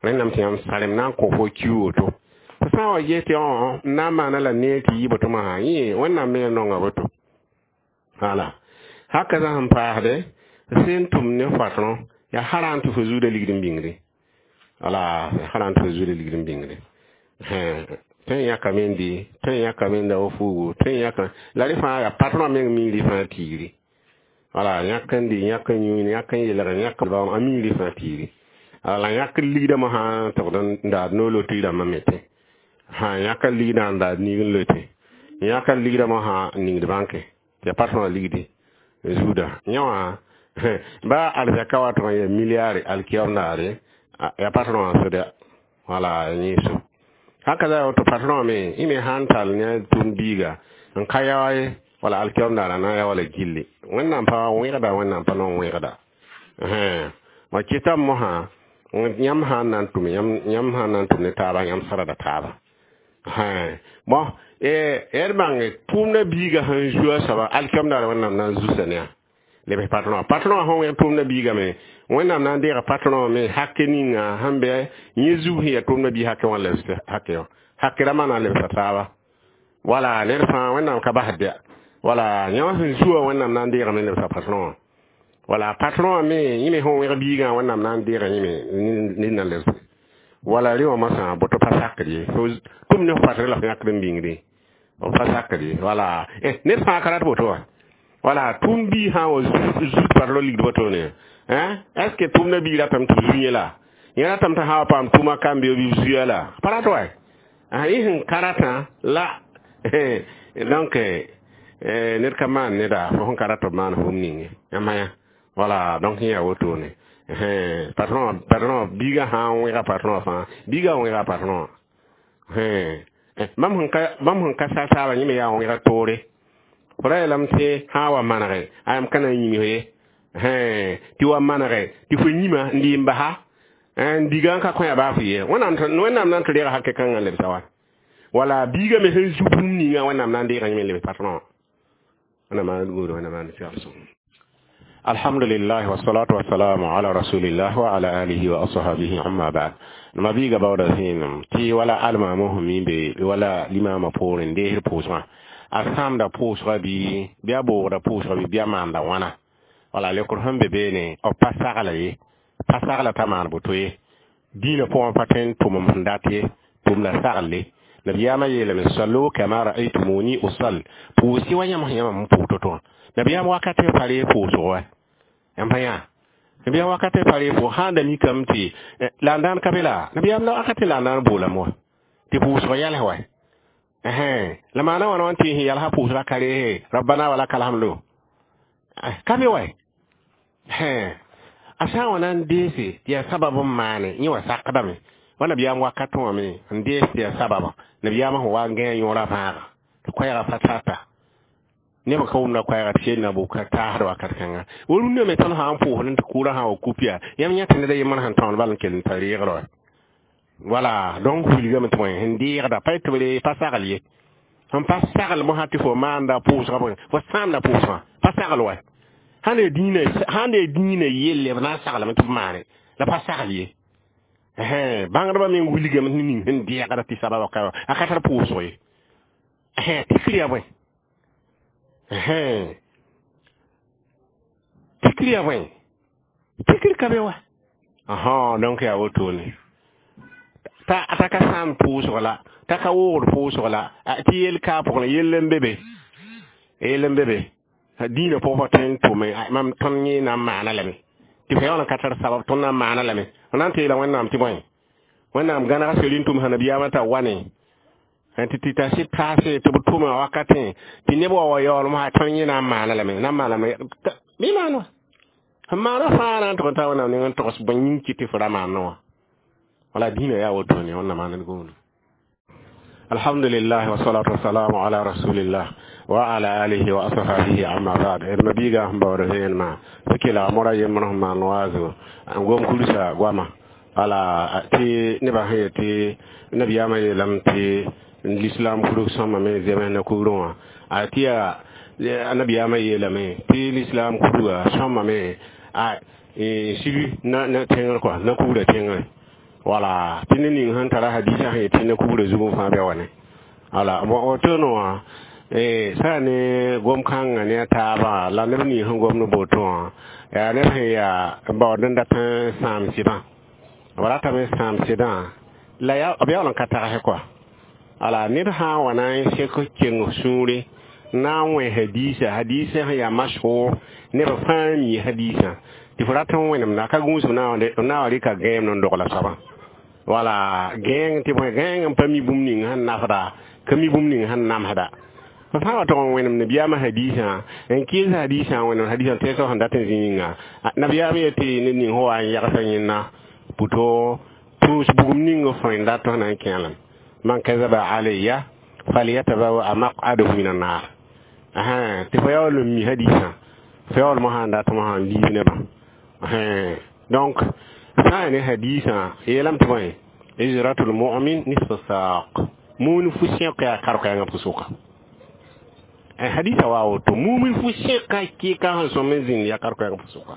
rẽndame tɩ yãmb sarem na n kõ fo kiu woto. Fo sã n wa ges tɩ n na n maana la neer tɩ yɩ boto mosã, yẽ Wẽnnaam me nonga boto. Wala haka zã sẽn paasde sẽn tʋm ne patron, yaa haraan tɩ fo zuudã ligd n bĩngde, wala haraan tɩ fo zuudã ligd n bĩngde. Tõe n yãkame n dɩ, tõe n yãkame n da wa fuugu, tõe n yãka la rẽ fãa yaa patron meng miiri fãa tiiri. Wala yãk n dɩ, yãk n yũ, yãk n yelg, yãk a miiri fãa tiiri. La yãk ligdã mosã tɩgd n daad noor loto rãmbã me tẽ sã yãk n ligdã n daad nig n lote, yãk n ligdã mosã n ningd bãnke tɩ ya patron ligdi zuudã. Yẽ wã ba arzɛka wa tʋg n yaa milliard alkiyom daare, ya patron wã sʋda, wala yẽ so. Haka za woto patron me y me sãn tall ne tʋʋm biiga n ka yaoa ye, wala alkiyom daara na n ya wala gilli. Wẽnnaam pa wẽgda, Wẽnnaam pa nong wẽgda wa kɩtame mosã yãmb sã n na n tʋm, yãmb sã n na n tʋm ne taaba, yãmb sarda taaba. Bon, d bãnge tʋʋmdã biigã sẽn zu a soaba, alkiyom daara Wẽnnaam na n zusa ne a. Lebs patron patron sẽn wẽg tʋmdã biigame, Wẽnnaam na n deega patron me hake ninga sẽn bɩ yẽ zug sẽn yaa tʋmdã bii hake wã lebs hake wã hake rãmbã na n lebsa taaba. Wala ned fãa Wẽnnaam ka basd ya. Wala yẽ wã sẽn zu wã, Wẽnnaam na n deegame n lebsa patron wã. Wala patron wã me, yẽ me sẽn wẽg biigã, Wẽnnaam na n deega yẽ me ned na lebse. Wala rẽ wã mosã boto pa sakd ye, tʋm ne f patr la f yãkd n bĩngdẽ, b pa sakd ye. Wala ned fãa ka rat boto wã. Wala tʋm bii sã n wa zut patron ligd wotone, hein, est ce que tʋmdã bii ratame tɩ b zu yẽ la yẽ ratame tɩ sã wa paam tʋma kam-beoog bɩ b zuya la pa rat wa yẽ sẽn ka ratã la. Donc ned ka maan neda fo sẽn ka rat b maan fum ning yãmb yã. Wala donc yẽ yaa wotone. Patron biigã sã n wẽga patron fãa, biigã wẽga patron. Bãmb sẽn ka sal taabã, yẽ me yaa wẽga toore. Fo ra yeelame tɩ sã n wa manege a yam ka na n yĩms ye tɩ wa manege tɩ fo yĩma n dɩ n basa n diga n ka kõ ya baa fo ye. Wẽnnaam na n tɩ reega hake kãngã n lebsa wa. Wala biigã me sẽn zu bũmb ninga, Wẽnnaam na n deega yẽ me n lebs patron. Wẽnnaam maan gũuda, Wẽnnaam maan segl sõng. Alhamdulillah, wassalatu wassalamu ala rasulillah wa ala alihi wa ashabihi, amma ba'd. Ma biiga baooda zẽenem tɩ wala almaamã sẽn mi be wala limama poorẽ n deesd pʋʋsgã, a sãamda pʋʋsga bɩ a boogda pʋʋsga bɩ a maanda wãna. Wala lekr sẽn be beene, b pa sagla ye, pa sagla t'a maan boto ye. Dĩinã pʋgẽ pa tõe n tʋmem sẽn dat ye, tʋmda sagle. Nabiyaamã yeelame: "Sallu kama ra'aytumuni usall", pʋʋs-y wa yãmb sẽn yãmb n pʋʋs to-to wã. Nabiyaam wakat pa reeg pʋʋsg wa yãmb pa yã. Nabiyaam wakat pa reeg pʋʋs sã n da mikame tɩ la n dãan ka be la nabiyaam la wakat la n dãan boolame wa tɩ pʋʋsg yals wa. La maana wãna wã tɩ sẽn yalsã pʋʋsga ka reese rabbana wa lakal hamdu ka be wa. A sã n wa na n deese tɩ yaa sabab n maane, yẽ wa sakdame wa nabiyaam wakat wã me n dees tɩ yaa sababa. Nabiyaamã sẽn wa n gãe yõora vãaga tɩ koɛɛgã pa tata, neb ka wʋmda koɛɛga tɩ sel na bʋka taasd wakat kãnga. Wa rũndã me tõnd sã n pʋʋsd tɩ kʋʋrã sã n wa kup yaa yãmb yã tɩ ned a yembr sẽn tõnd bal n kell n tar reegr wa. Wala donc wilgame tɩ bõe sẽn deegda pa tɩ b re pa sagl ye. Sẽn pa sagl mosã tɩ fo maanda pʋʋsga bõe, fo sãamda pʋʋsgã pa sagl wa. Sãn yaa dĩinã yelle, b na n saglame tɩ b maane la pa sagl ye. Bãngdbã meng wilgame tɩ ning sẽn deegda tɩ sababa ka a ka tar pʋʋsg ye. Tikr yaa bõe? Tikr yaa bõe? Tikr ka be wa. Donc yaa wotone t'a ka sãam pʋʋsg la t'a ka woogd pʋʋsg la tɩ yel kaa pʋgẽ yell n be be, yell n be be dĩinã pʋgẽ pa tõe n tʋme. Mam tõnd yẽ na n maana lame tɩ fa yaool n ka tar sabab, tõnd na n maana lame. F na n teela Wẽnnaam tɩ bõe, Wẽnnaam gãnega seri n tʋm sã nabiyaamã t'a wa ne tɩ tɩ t'a sɩd taase tɩ b tʋma wakatẽ tɩ neb wa wa yaool mosã tõnd yẽ na n maana lame, na n maaname bɩ maan wa. Sẽn maana fãa na n tʋg n taa Wẽnnaam neng n togs bõe yĩng kɩ tɩ fo ra maanẽ wã. Wala dĩinã yaa wotone, Wẽnnaam maan d gũudu. Alhamdulillah, wassalatu wassalamu ala rasulillah wa ala alihi wa ashabihi, amma ba'd. D mabiiga sẽn baood vẽenemã tɩ kelg mora yembr sẽn maan waazo n gom kursa goama. Wala tɩ nebã sẽn yet tɩ nabiyaamã yeelame tɩ l'islam kurg sõma me zems ne kugrẽ wã, a tɩ yaa nabiyaamã yeelame tɩ l'islam kurga sõma me a sig na tẽngr kɔa na kugrã tẽngre. Wala tɩ ned ning sẽn tara hadisa sẽn yet tɩ na kugrã zug n fãa bɩ wa ne. Wala wotone wã sã ne gom-kãngã ne a taabã la neb ning sẽn gomd boto wã yaa neb sẽn yaa baood n dat n sãam sɩdã, b ratame n sãam sɩdã la b yaool n ka tagsɛ kɔa. Ala ned sã n wa na n sek keng sũure na n wẽ hadisa, hadisa sẽn yaa mashhur, neb fãa mi hadisã tɩ fo rat n wẽnemda ka gũusb na wa rɩka gãeem n dogla soabã. Wala gãeng tɩ bõe, gãeng n pa mi bũmb ning sẽn nafda, ka mi bũmb ning sẽn namsda. Fo sã n wa tog n wẽnem nabiyaamã hadisã n kɩɩs hadisã n wẽnem hadisã tẽnsg sẽn dat n zĩ yĩnga, nabiyaam yetɩ ned ning sẽn wa n yagsã yẽnna pʋto tũus bugum ning f sẽn dat sẽn na n kẽelem: "Man kazaba alayya falyatabawa maq'adahu min annar". Tɩ fo yaool n mi hadisã, fo yaool mosã n dat mosã n liib nebã. Donc sã n ne hadisã yeelame tɩ bõe, ijratul mu'min nisfu saq, muun fu sẽk yaa kar-koɛɛngã pʋsʋka. Hadisa wa woto mumin fu sẽka kɩka sẽn sõm n zĩnd ya kar-koɛɛg fo sʋka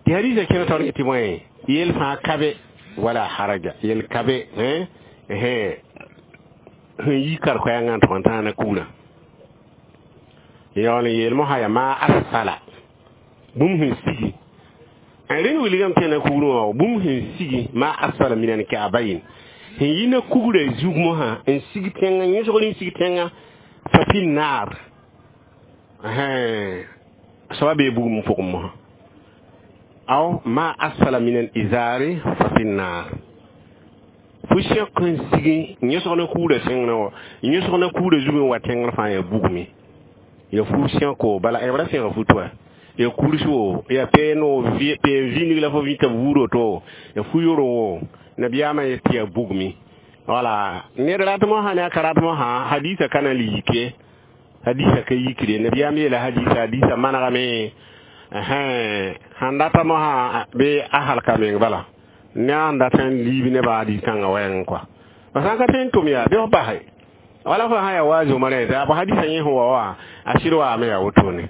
tɩ hadisa kẽna taoor tɩ bõe yel fãa ka be wala haraja yel ka be sẽn yi kar-koɛɛngã n tʋg n tãana kugrã yaool n yeel mosã yaa maa asfala bũmb sẽn sigi n rẽnd wilgame tẽna kugrẽ wã bũmb sẽn sigi maa asfala min alkaabayin sẽn yi na kugrã zug mosã n sig tẽngã yõsgr n sig tẽngã fa fi naar soaba bee bugum pʋgẽ mosã aw ma asfala min al izari fa fi naar fo sẽk n sigi yõsg na kugrã tẽngrã wã yõsg na kugrã zug n wa tẽngr fãa yaa bugme ya fu sẽko bala b ra sẽga futu wa ya kursi wo ya peeno peen vĩnig la fo vĩta buuro to ya fu yoro wo nabiyaamã yet tɩ ya bugmi wala ned rat mosã ne a ka rat mosã hadisa ka na n le yike hadisa ka yikre nabiyaam yeela hadisa hadisa manegame sãn data mosã bɩ a halka meng bala ne a sẽn dat n liib nebã hadis kãngã wɛɛngẽ kɔa fa sã n ka tõe n tʋm yaa bɩ f base wala fo sã yaa wa zʋma rẽ tɩ b hadisa yẽ sẽn wa wã a sɩd waame yaa wotone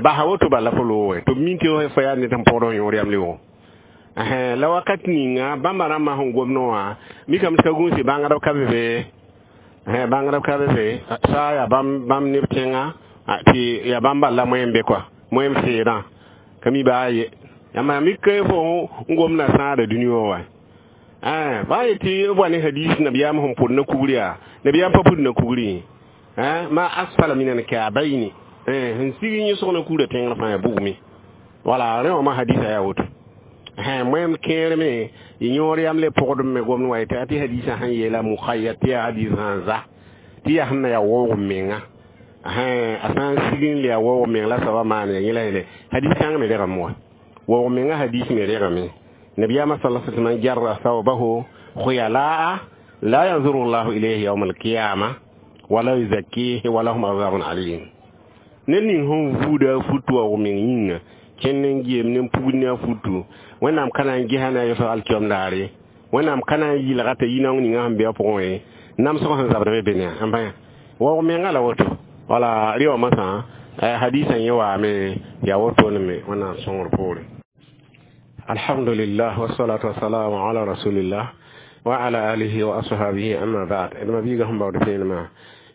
basa woto bala fo loog tɩ b min tɩ fo yaa ned sẽn pʋgd yõor yam leoogo la wakat ninga bãmba rãmbã sẽn gomdẽ wã mikame tɩ ka gũusi bãngdb ka be be bãngdb ka be be saa yaa bãmb neb tẽngã tɩ yaa bãmb bal la moẽm be kɔa moẽm seedã ka mi baa ye yãmba mik fo n gomdã sãada dũni wã wa ba yetɩ b wa ne hadis nabiyaam sẽn pʋd na kugr yaa nabiyaam pa pʋd na kugri ma asfala min alkaabayni sẽn sig yõsg na kugrã tẽngr fãa yaa bugme wala rẽ wã ma hadisa yaa woto moẽm kẽer me yõor yam le pʋgdb me gomd wa yetɩ tɩ hadisã sẽn yeela mukhayyad tɩ yaa hadis sã n za tɩ yaa sẽn na yaa waoog menga a sã n sig n le yaa waoog meng la soaba maan ya yẽ la yeele hadis kãng me regame wa waoog menga hadis me regame nabiyaamã sala sallam jarra thawbahu khuyalaa la yanzuru llahu ilayhi yawma alqiyama wala yuzakkihi walahum azabun alim ned ning sẽn vuuda a futu waoog meng yĩnga kẽnd n geem ne n pugd ne a futu wẽnnaam ka na n gesa ne a yʋsg alkiom daare wẽnnaam ka na n yɩlga t'a yinaong ninga sẽn be a pʋgẽ ye namsg sẽn zabd be be ne n bã waoog menga la woto wala rɩ wã masã hadisã yẽ waame yaa wotone me wẽnnaam sõngr poore alhamdulillah wasalatu wasalamu ala rasulillah wa ala alihi wa ashabihi amma ba'd d ma biiga sẽn baood fẽenemã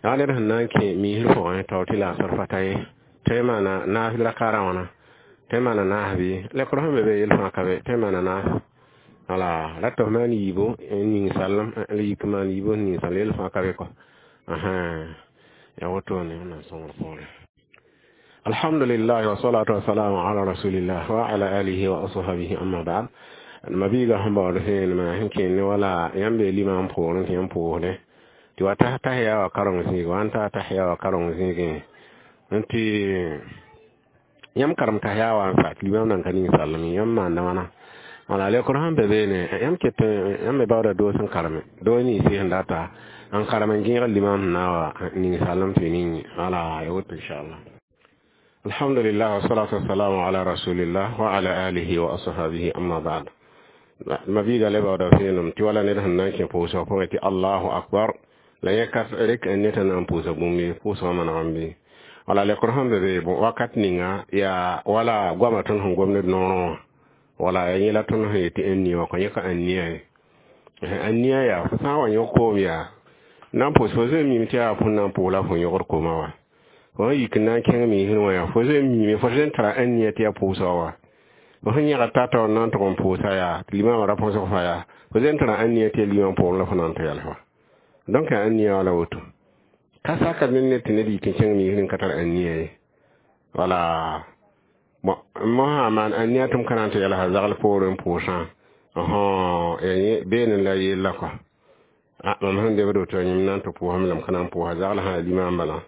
yaa ned sẽn na n kẽ miisr pʋgẽ tao tɩ laasr fata ye tõe n maana naas rakaarã wãna tõe n maana naas bɩ lekr sẽn be be yel fãa ka be tõe n maana naas wala ra tɩ f maan yiibo n ning sallem la yik maan yiibo n ning sallem yel fãa ka be kɔ yaa wotone wẽnnaam sõngr poore alhamdulillah wasalatu wasalamu ala rasulillah wa ala alihi wa ashabihi amma ba'd ma biiga sẽn baood fẽenemã sẽn kẽnd wala yãmb bee limam poorẽ tɩ yãmb pʋʋsdẽ tɩ wa tas tahiya wa kareng zĩig wa n taa tahiya wa kareng zĩigẽ n tɩ yãmb karem tahiya wa n sa tɩ limam nan ka ning sallem yãmb maanda wãna wala lekr sẽn be beene yãmb ket yãmb me baooda doos n kareme doo ninsɩ sẽn data n karem n gẽeg limam sẽn na wa ning sallem tɩ ning wala ya woto inchallah alhamdulillah wasalatu wasalamu ala rasulillah wa ala alihi wa ashabihi amma ba'd ma biiga le baooda fẽenem tɩ wala ned sẽn na n kẽ pʋʋsg pʋgẽ tɩ allahu akbar la yẽ ka rek n ned sẽn na n pʋʋsa bũmb ye pʋʋsgã manegame bɩ wala lekr sẽn be be wakat ninga yaa wala goamã tõnd sẽn gom ned noorẽ wã wala ya yẽ la tõnd sẽn yetɩ ãnnia wã kõ yẽ ka ãnnia ye ãnnia yaa fo sã n wa yõk koom yaa na n pʋʋs fo zoe mime tɩ yaa fõn na n pʋʋs la fo yõgd koomã wa fo sẽn yik n na n kẽng miisr wã yaa fo zoe mime fo zoe n tara ãnnia tɩ yaa pʋʋsga wa fo sẽn yẽgd tata n na n tʋg n pʋʋsa yaa tɩ limamã ra põsg fa yaa fo zoe n tara ãnnia tɩ yaa limam pʋgẽ la fo na n tɩ yɛls wa donc ãnnia wala woto ka saka ne ned tɩ ned yik n kẽng miisr n ka tar ãnnia ye wala bon mosã maan ãnnia tɩ m ka na n tɩ yɛlsa zagl poorẽ n pʋʋsã beene la yella kɔa mam sẽn debd woto yẽm na n tɩ pʋʋsame la m ka na n pʋʋsa zagl sã yaa limam bala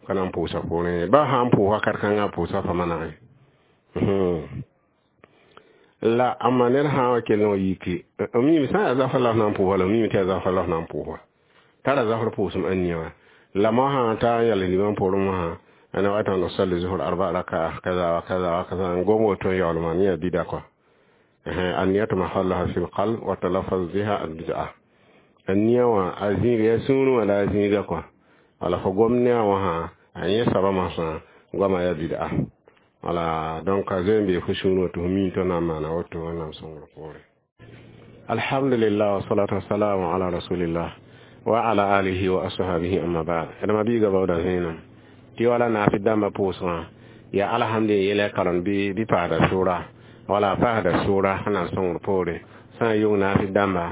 ka na n pʋʋsa poorẽ ba sã n pʋʋs wakat kãngã pʋʋsa fa manegẽ la amma ned sã n wa kell n wa yiki mime sã n yaa zafr la f na n pʋʋsa la mime tɩ yaa zafr la f na n pʋʋs wa tara zafr pʋʋsem ãnnia wa la mosã t'a n yɛls limam poorẽ mosã ana wata nusalli zuhur arba raka'a kaza wa kaza wa kaza ngom woto yawl man ya bida ko anniyatu mahallaha fil qalb wa talaffuz biha al bid'a A nia wã a zĩiga yaa sũurẽ wã la a zĩiga kɔa. Wala fo gom ne a wã sã a yẽ soaba moasã goamã yaa bid'a. Wala donc a zoe n bee fo sũurẽ wã tɩ fo mi tɩ na n maana woto Wẽnnaam sõngr poorẽ. Alhamdulillah wa salatu wassalamu ala rasulillah wa ala alihi wa ashabihi amma ba'd. D ma biiga baooda zẽenem tɩ wala naafɩ dãmbã pʋʋsgã yaa alhamd n yɛla karen bɩ paasda sʋʋra wala paasda sʋʋra sẽn na n sõngr poore sã n yʋng naafɩ dãmba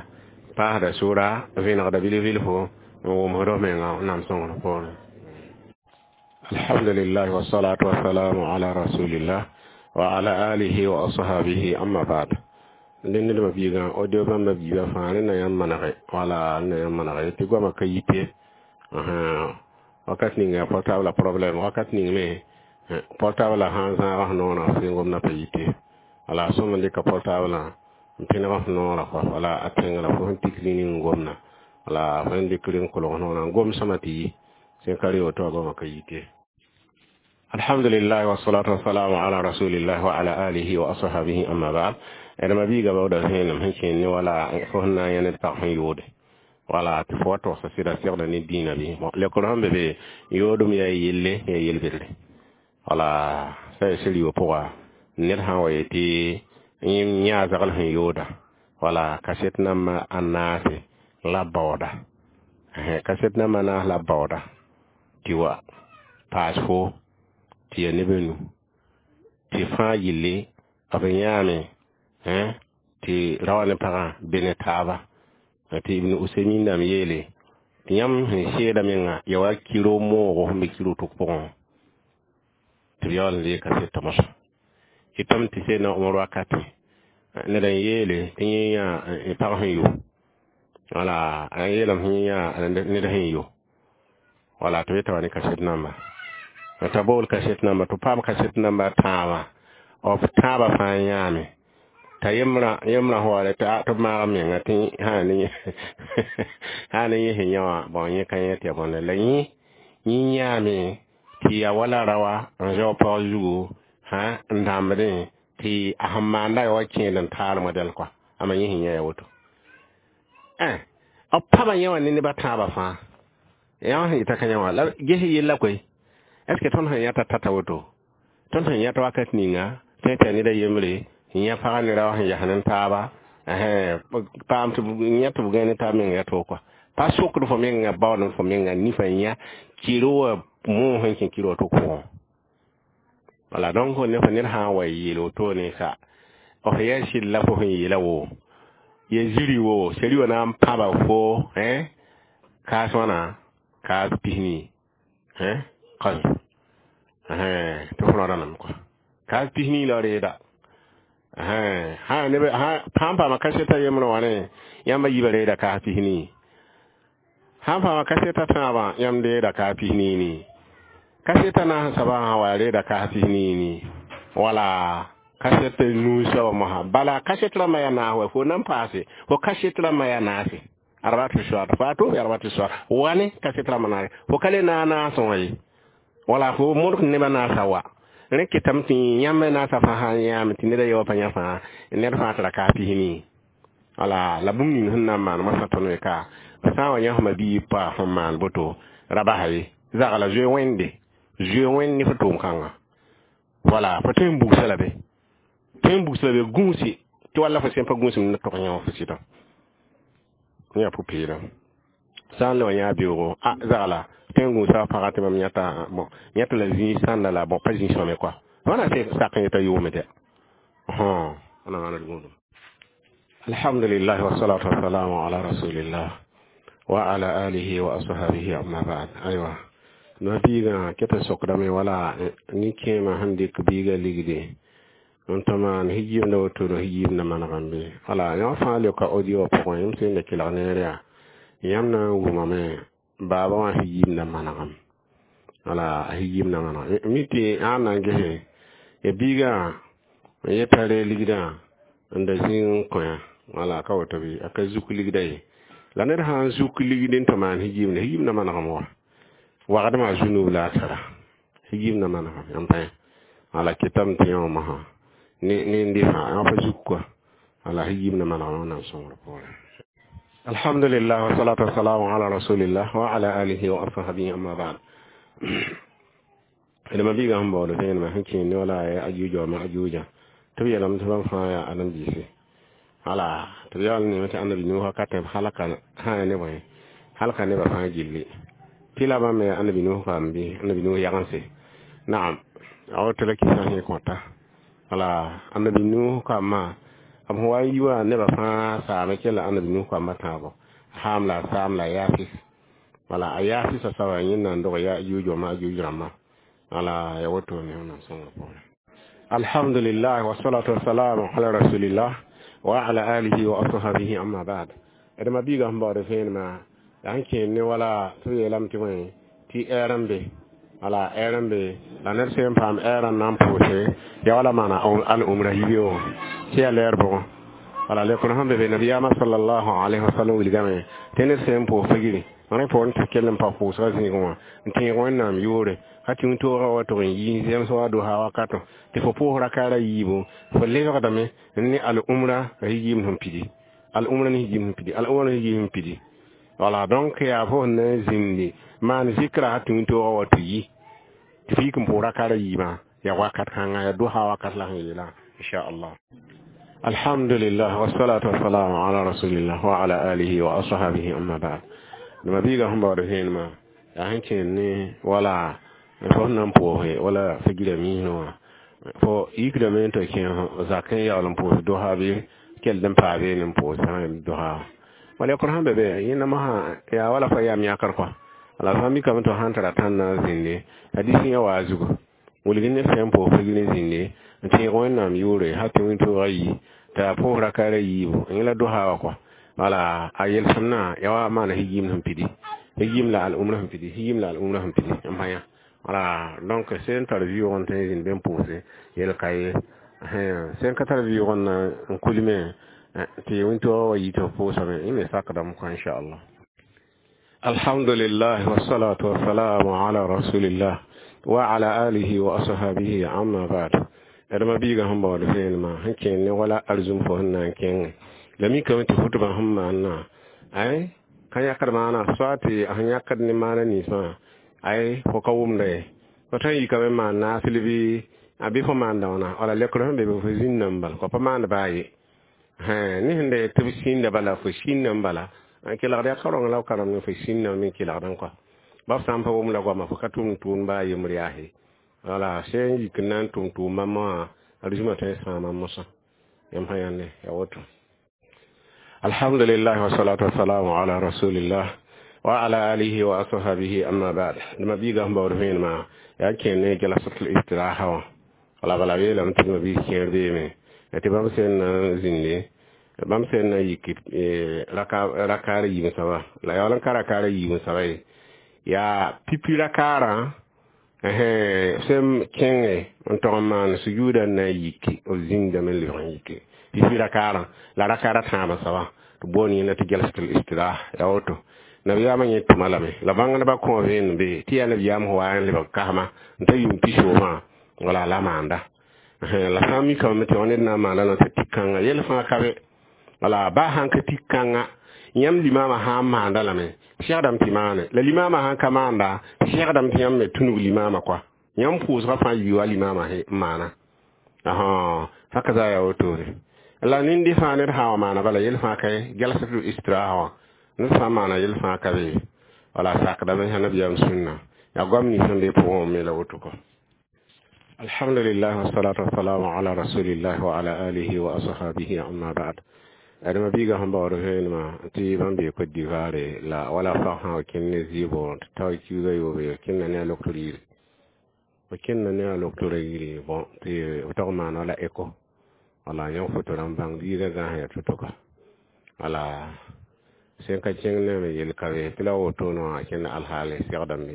paasda sʋʋra vẽnegda bilf-bilfo n wʋmsd f menga Wẽnnaam sõngr poore. Alhamdulillah wa salatu wassalamu ala rasulillah wa ala alihi wa ashabihi amma ba'd. Dẽnd ned biigã audio bãmba biiba fãa rẽnd na yãmb manege wala na yãmb manege tɩ goamã ka yite wakat ning yaa portable problème wakat ning me portable sã n zãag f noorã f sẽn gomdã pa yite wala sõm n dɩka portable n pẽneg f noorã kɔ wala a tẽngrã fo sẽn tik rĩni n gomda wala fo sẽn dɩk rɩ n kolg noorã n gom sõma tɩ yi sẽn ka re woto wã goamã ka yite. Alhamdulillah wa salatu wassalamu ala rasulillah wa ala alihi wa ashabihi amma ba'd. D ma biiga baooda zẽenem sẽn kẽen ne wala fo sẽn na n yã ned pag sẽn yoode wala tɩ fo wa togsa sɩda segda ne dĩinã bɩ bon lekr sẽn be be yoodem yaa yelle yaa yel-bɩdre wala sã yaa sel yo pʋga ned sã n wa yetɩ yã zagl sẽn yooda wala kaset namba a naase la baooda kaset namba a naas la baooda tɩ wa paas fo tɩ yaa neb a nu tɩ fãa yille b yãame tɩ ra wa ne pagã be ne taaba tɩ Ibn Usaymin dãmb yeele tɩ yãmb sẽn seeda menga ya wa kiro moogo sẽn be kiro tok pʋgẽ tɩ b yaool n reeg kasetã mosã tɩ tɩ Seydna Omar wakate ned n yeele tɩ yẽ yã pag sẽn yo wala a yeelame tɩ yẽ yã ned sẽn yo wala tɩ b yeta wa ne kaset namba t'a bool kaset namba tɩ paam kaset namba tãabã b tãabã fãa yãame t'a yembrã yembrã sẽn wa tɩ b maag menga tɩ sã ne yẽ sẽn yã wã bõn yẽ ka yẽ tɩ ya bõnde la yẽ yẽ yãame tɩ ya wala raoã n zao pag zugu sã n dãmbdẽ tɩ a sẽn maanda ya wa kẽed n taal modɛl kɔa ama yẽ sẽn yã ya woto b pãba yẽ wã ne neb a tãabã fãa yã sẽn yeta ka yã wã la ges yella koe est ce que tõnd sẽn yãta tata woto tõnd sẽn yãta wakat ninga tɩ tɩ ned a yembre yã pagã ne rao sẽn yas ne taaba paam tɩ yã tɩ b gãe ne taab menga yaa to kɔa pa sokd fo menga baood fo menga nifã yã kɩr wa moog sẽn kẽ kɩr woto pʋgẽ wala donc ne fo ned sã n wa yeel wotone ka f yaa sɩd la fo sẽn yeela wo ya ziri wo seri wã na n pãba fo kaas wãna kaas pisni qaz tɩ fo rõdã kɔa kaas pisni la reeda neb sãn paama kaseta yembrã wã ne yãmb yiibã reeda kaas pisni sãn paama kaseta tãabã yãmb reeda kaas pisni ni kaseta naas soabã sã wa reeda kaas pisni ni wala kaset nuu soaba mosã bala kaset rãmbã yaa naas wa fo nan paase fo kaset rãmbã yaa naase arbatu soat fato arbatu soat wani kaset rãmbã naase fo ka le naag naasẽ wã ye wala fo modg nebã naasa wa rẽ ketame tɩ yãmb naasã fãa sã n yãame tɩ neda yaoã pa yã fãa ned fãa tɩ ra kaas pisni wala la bũmb ning sẽn na n maan moasã tõnd me ka sã n wa yã fõma biig pa fõn maan boto ra basa ye zagla zoe wẽnde zoe wẽnd ne fo tʋʋm-kãngã wala fo tõe n bugsa la be tõe n bugsa la be gũusi tɩ walla fo sẽn pa gũusem ne tog yã wã fo sɩdã yã pʋ-peelem sã n le wa yã beoogo a zagla tõe n gũusa pagã tɩ mam yãta bon yãta la zĩig sãnda la bon pa zĩig sõme kɔa wãna sak n yeta yʋʋme dɛ wãna maana d gũudum. Alhamdulillah wa salatu wassalamu ala rasulillah wa ala alihi wa ashabihi amma ba'd. Aywa no biigã ket n sokdame wala nin-kẽemã sẽn dɩk biigã ligde n tɩ maan hijimda woto no hijimda manegem bɩ wala yã fãa leoka audio wã pʋgẽ yãmb sẽn da kelg neer yaa yãmb na n wʋmame baaba wã hijimda manegem wala a hijimda manegem mi tɩ ãn na n gese ya biigã n yeta ree ligdã n da zĩig n kõ wala ka woto bɩ a ka zuk ligda ye la ned sã n zuk ligd n tɩ maan hijimda hijimda manegem wa wagdmã zunub la a tara hijimda manegem yãmb pa wala ketame tɩ yã wã mosã ne n dɩ fãa yã pa zuk kɔa wala hijimda manegem Wẽnnaam sõngr poorẽ. Alhamdulillah wa salatu wassalamu ala rasulillah wa ala alihi wa ashabihi, amma ba'd. D ma biiga sẽn baood vẽenemã sẽn kẽe ne wala ya Ajuuja wa Majuuja, tɩ b yeelame tɩ bãmb fãa yaa Adem-biisi. Wala tɩ b yaool neeme tɩ Annabi Nuh wakatẽ b halka sã ne bõe, halka nebã fãa gilli, tɩ la bãmb me yaa Annabi Nuh kaam-biis, Annabi Nuh yagense. Naam, a woto la kɩsã sẽn kõta. Wala Annabi Nuh kambã, b sẽn wa n yi wã, nebã fãa saame kell Annabi Nuh kambã tãabo, Ham la Sam la Yafis. Wala a Yafisa soaba yẽnda n dog Yajuuj wa Majuuj rãmbã. Wala ya woto ne Wẽnnaam sõngrã pʋgẽ. Alhamdulillah wa salatu wassalamu ala rasulillah wa ala alihi wa ashabihi, amma ba'd. D ma biiga sẽn baood vẽenemã yaa sẽn kẽer ne wala tɩ b yeelame tɩ bõe, tɩ ɛɛr n be. Wala ɛɛr n be la ned sẽn paam ɛɛrã n na n pʋʋse ya wala maana al-umra yibeoogẽ tɩ yaa lɛɛr bʋgẽ. Wala lekr sẽn be be, nabiyaamã sallallahu alaihi wasallam wilgame tɩ ned sẽn pʋʋs figri rẽ poorẽ tɩ kell n pa pʋʋsgã zĩigẽ wã n tẽeg Wẽnnaam yʋʋre ka tɩ wĩntoogã wa tʋg n yi zems wa dosa wakato tɩ fo pʋʋs rakaara yiibu, fo lebgdame ne al-umra yigiim sẽn pidi, al-umra ne yigiim sẽn pidi, al-umra ne yigiim sẽn pidi. Wala donc yaa fo sẽn na n zĩndi maan zikra tɩ wĩntoogã wa tɩ yi tɩ f yik n pʋʋs rakaara yiibã, yaa wakat kãnga, yaa dosa wakat la sẽn yeelã, inchallah. Alhamdulillah wassalatu wassalamu ala rasulillah wa ala alihi wa ashabihi, amma ba'd. D ma biiga sẽn baood vẽenemã yaa sẽn kẽer ne wala fo sẽn na n pʋʋse wala figra miisẽ wã, fo yikdame n tɩ kẽ zakẽ yaool n pʋʋs dosa bɩ kell n paa beene n pʋʋs dosa. Wala yakr sẽn be be yẽnda mosã yaa wala fa yaam yãkr kɔa. Wala fãa mikame tɩ sãn tara tãnna zĩnde hadis yã waa zugu wilg ned sẽn pʋʋs figr zĩnde n tẽeg Wẽnnaam yʋʋre hal tɩ wĩntoogã yi tɩ a pʋʋs rakaara yiibu yẽ la dosa wã kɔa. Wala a yelsem-nã yaa wa maana higiim sẽn pidi, higiim la al-umra sẽn pidi, higiim la al-umra sẽn pidi n pa yã. Wala donc sẽn tar vɩʋʋg n tõe n zĩnd be n pʋʋse yel ka ye, sẽn ka tar vɩʋʋg n na n kulme tɩ wĩntoogã wa yi tɩ f pʋʋsame, yẽ me sakdame kɔa, inchallah. Alhamdulillah wassalatu wassalamu ala rasulillah wa ala alihi wa ashabihi, amma ba'd. D ma biiga sẽn baood vẽenemã sẽn kẽer ne wala arzũm fo sẽn na n kẽngẽ la mikame tɩ fotbã sẽn maanna ay ka yãkd maana soa tɩ sẽn yãkd ne maana ninsã ay fo ka wʋmda ye, fo tõe n yikame n maan naasl bɩ a bɩ fo maanda wãna. Wala lekr sẽn be be, fo zĩnda n bala kɔ pa maand baa ye ne sẽn da tɩ b sĩnda bala, fo sĩnda n bala n kelgd yaa ka rõng la b karem ne fo sĩnda me n kelgdẽ kɔa bab sã n pa wʋm la goama, fo ka tʋm tʋʋm baa yembr yaase. Wala sẽn yik n na n tʋm tʋʋm bãmb wã, arzũmã tõe n sãama mosã yãmb sã yãnde ya woto. Alhamdulillah wassalatu wassalamu ala rasulillah wa ala alihi wa ashabihi, amma ba'd. D ma biiga sẽn baood vẽenemã yaa kẽer ne jalasatul istiraha wã. Wala bala yeelame tɩ ma biis kẽer beeme tɩ bãmb sẽn na n zĩnde, bãmb sẽn na yik rakaara yiib soaba la yaool n ka rakaara yiib soaba ye, yaa pipi rakaarã sẽn kẽnge n tog n maan sujuuda n na n yiki, b zĩndame n lebg n yike pipi rakaarã la rakaara tãabã soaba tɩ boond yẽnda tɩ jalsatul istiraha. Yaa woto nabiyaamã yẽ tʋma lame la bãngdbã kõ vẽenem be tɩ yaa nabiyaam sẽn wa n lebg kasma n ta yʋʋm pisoobã. Wala la maanda la sã n mikame tɩ wã ned na n maanda la tɩ tik kãnga yɛl fãa ka be. Wala baa sãn ka tik kãnga, yãmb limaamã sã n maanda lame, segdame tɩ maane la limaamã sãn ka maanda, segdame tɩ yãmb me tũnug limaamã kɔa, yãmb pʋʋsgã fãa yi wa limaamã n maana haka za yaa wotone. La nindi fãa ned sã wa maana bala yel fãa ka ye jalsatul istiraha wã, ned sã n maana yel fãa ka be. Wala sakdame sã nabiyaam sũnna yaa goam nins sẽn be pʋgẽ me la woto kɔ. Alhamdulillah wassalatu wassalamu ala rasulillah wa ala alihi wa ashabihi, amma ba'd. D ma biiga sẽn baood vẽenemã tɩ bãmb bee Côte d'Ivoire la wala fag sã wa kẽnd ne zɩɩbo tɩ tao kiuga yoobe kẽnda ne a loktor yiri, fo kẽnda ne a loktora yiri. Bon, tɩ b tog n maana wala écho. Wala yõ foto rãmb bãng biigã gãas yaa to-to kɔ. Wala sẽn ka kẽng ne me yel ka be tɩ la wotone wã kẽnd alhaale segdame.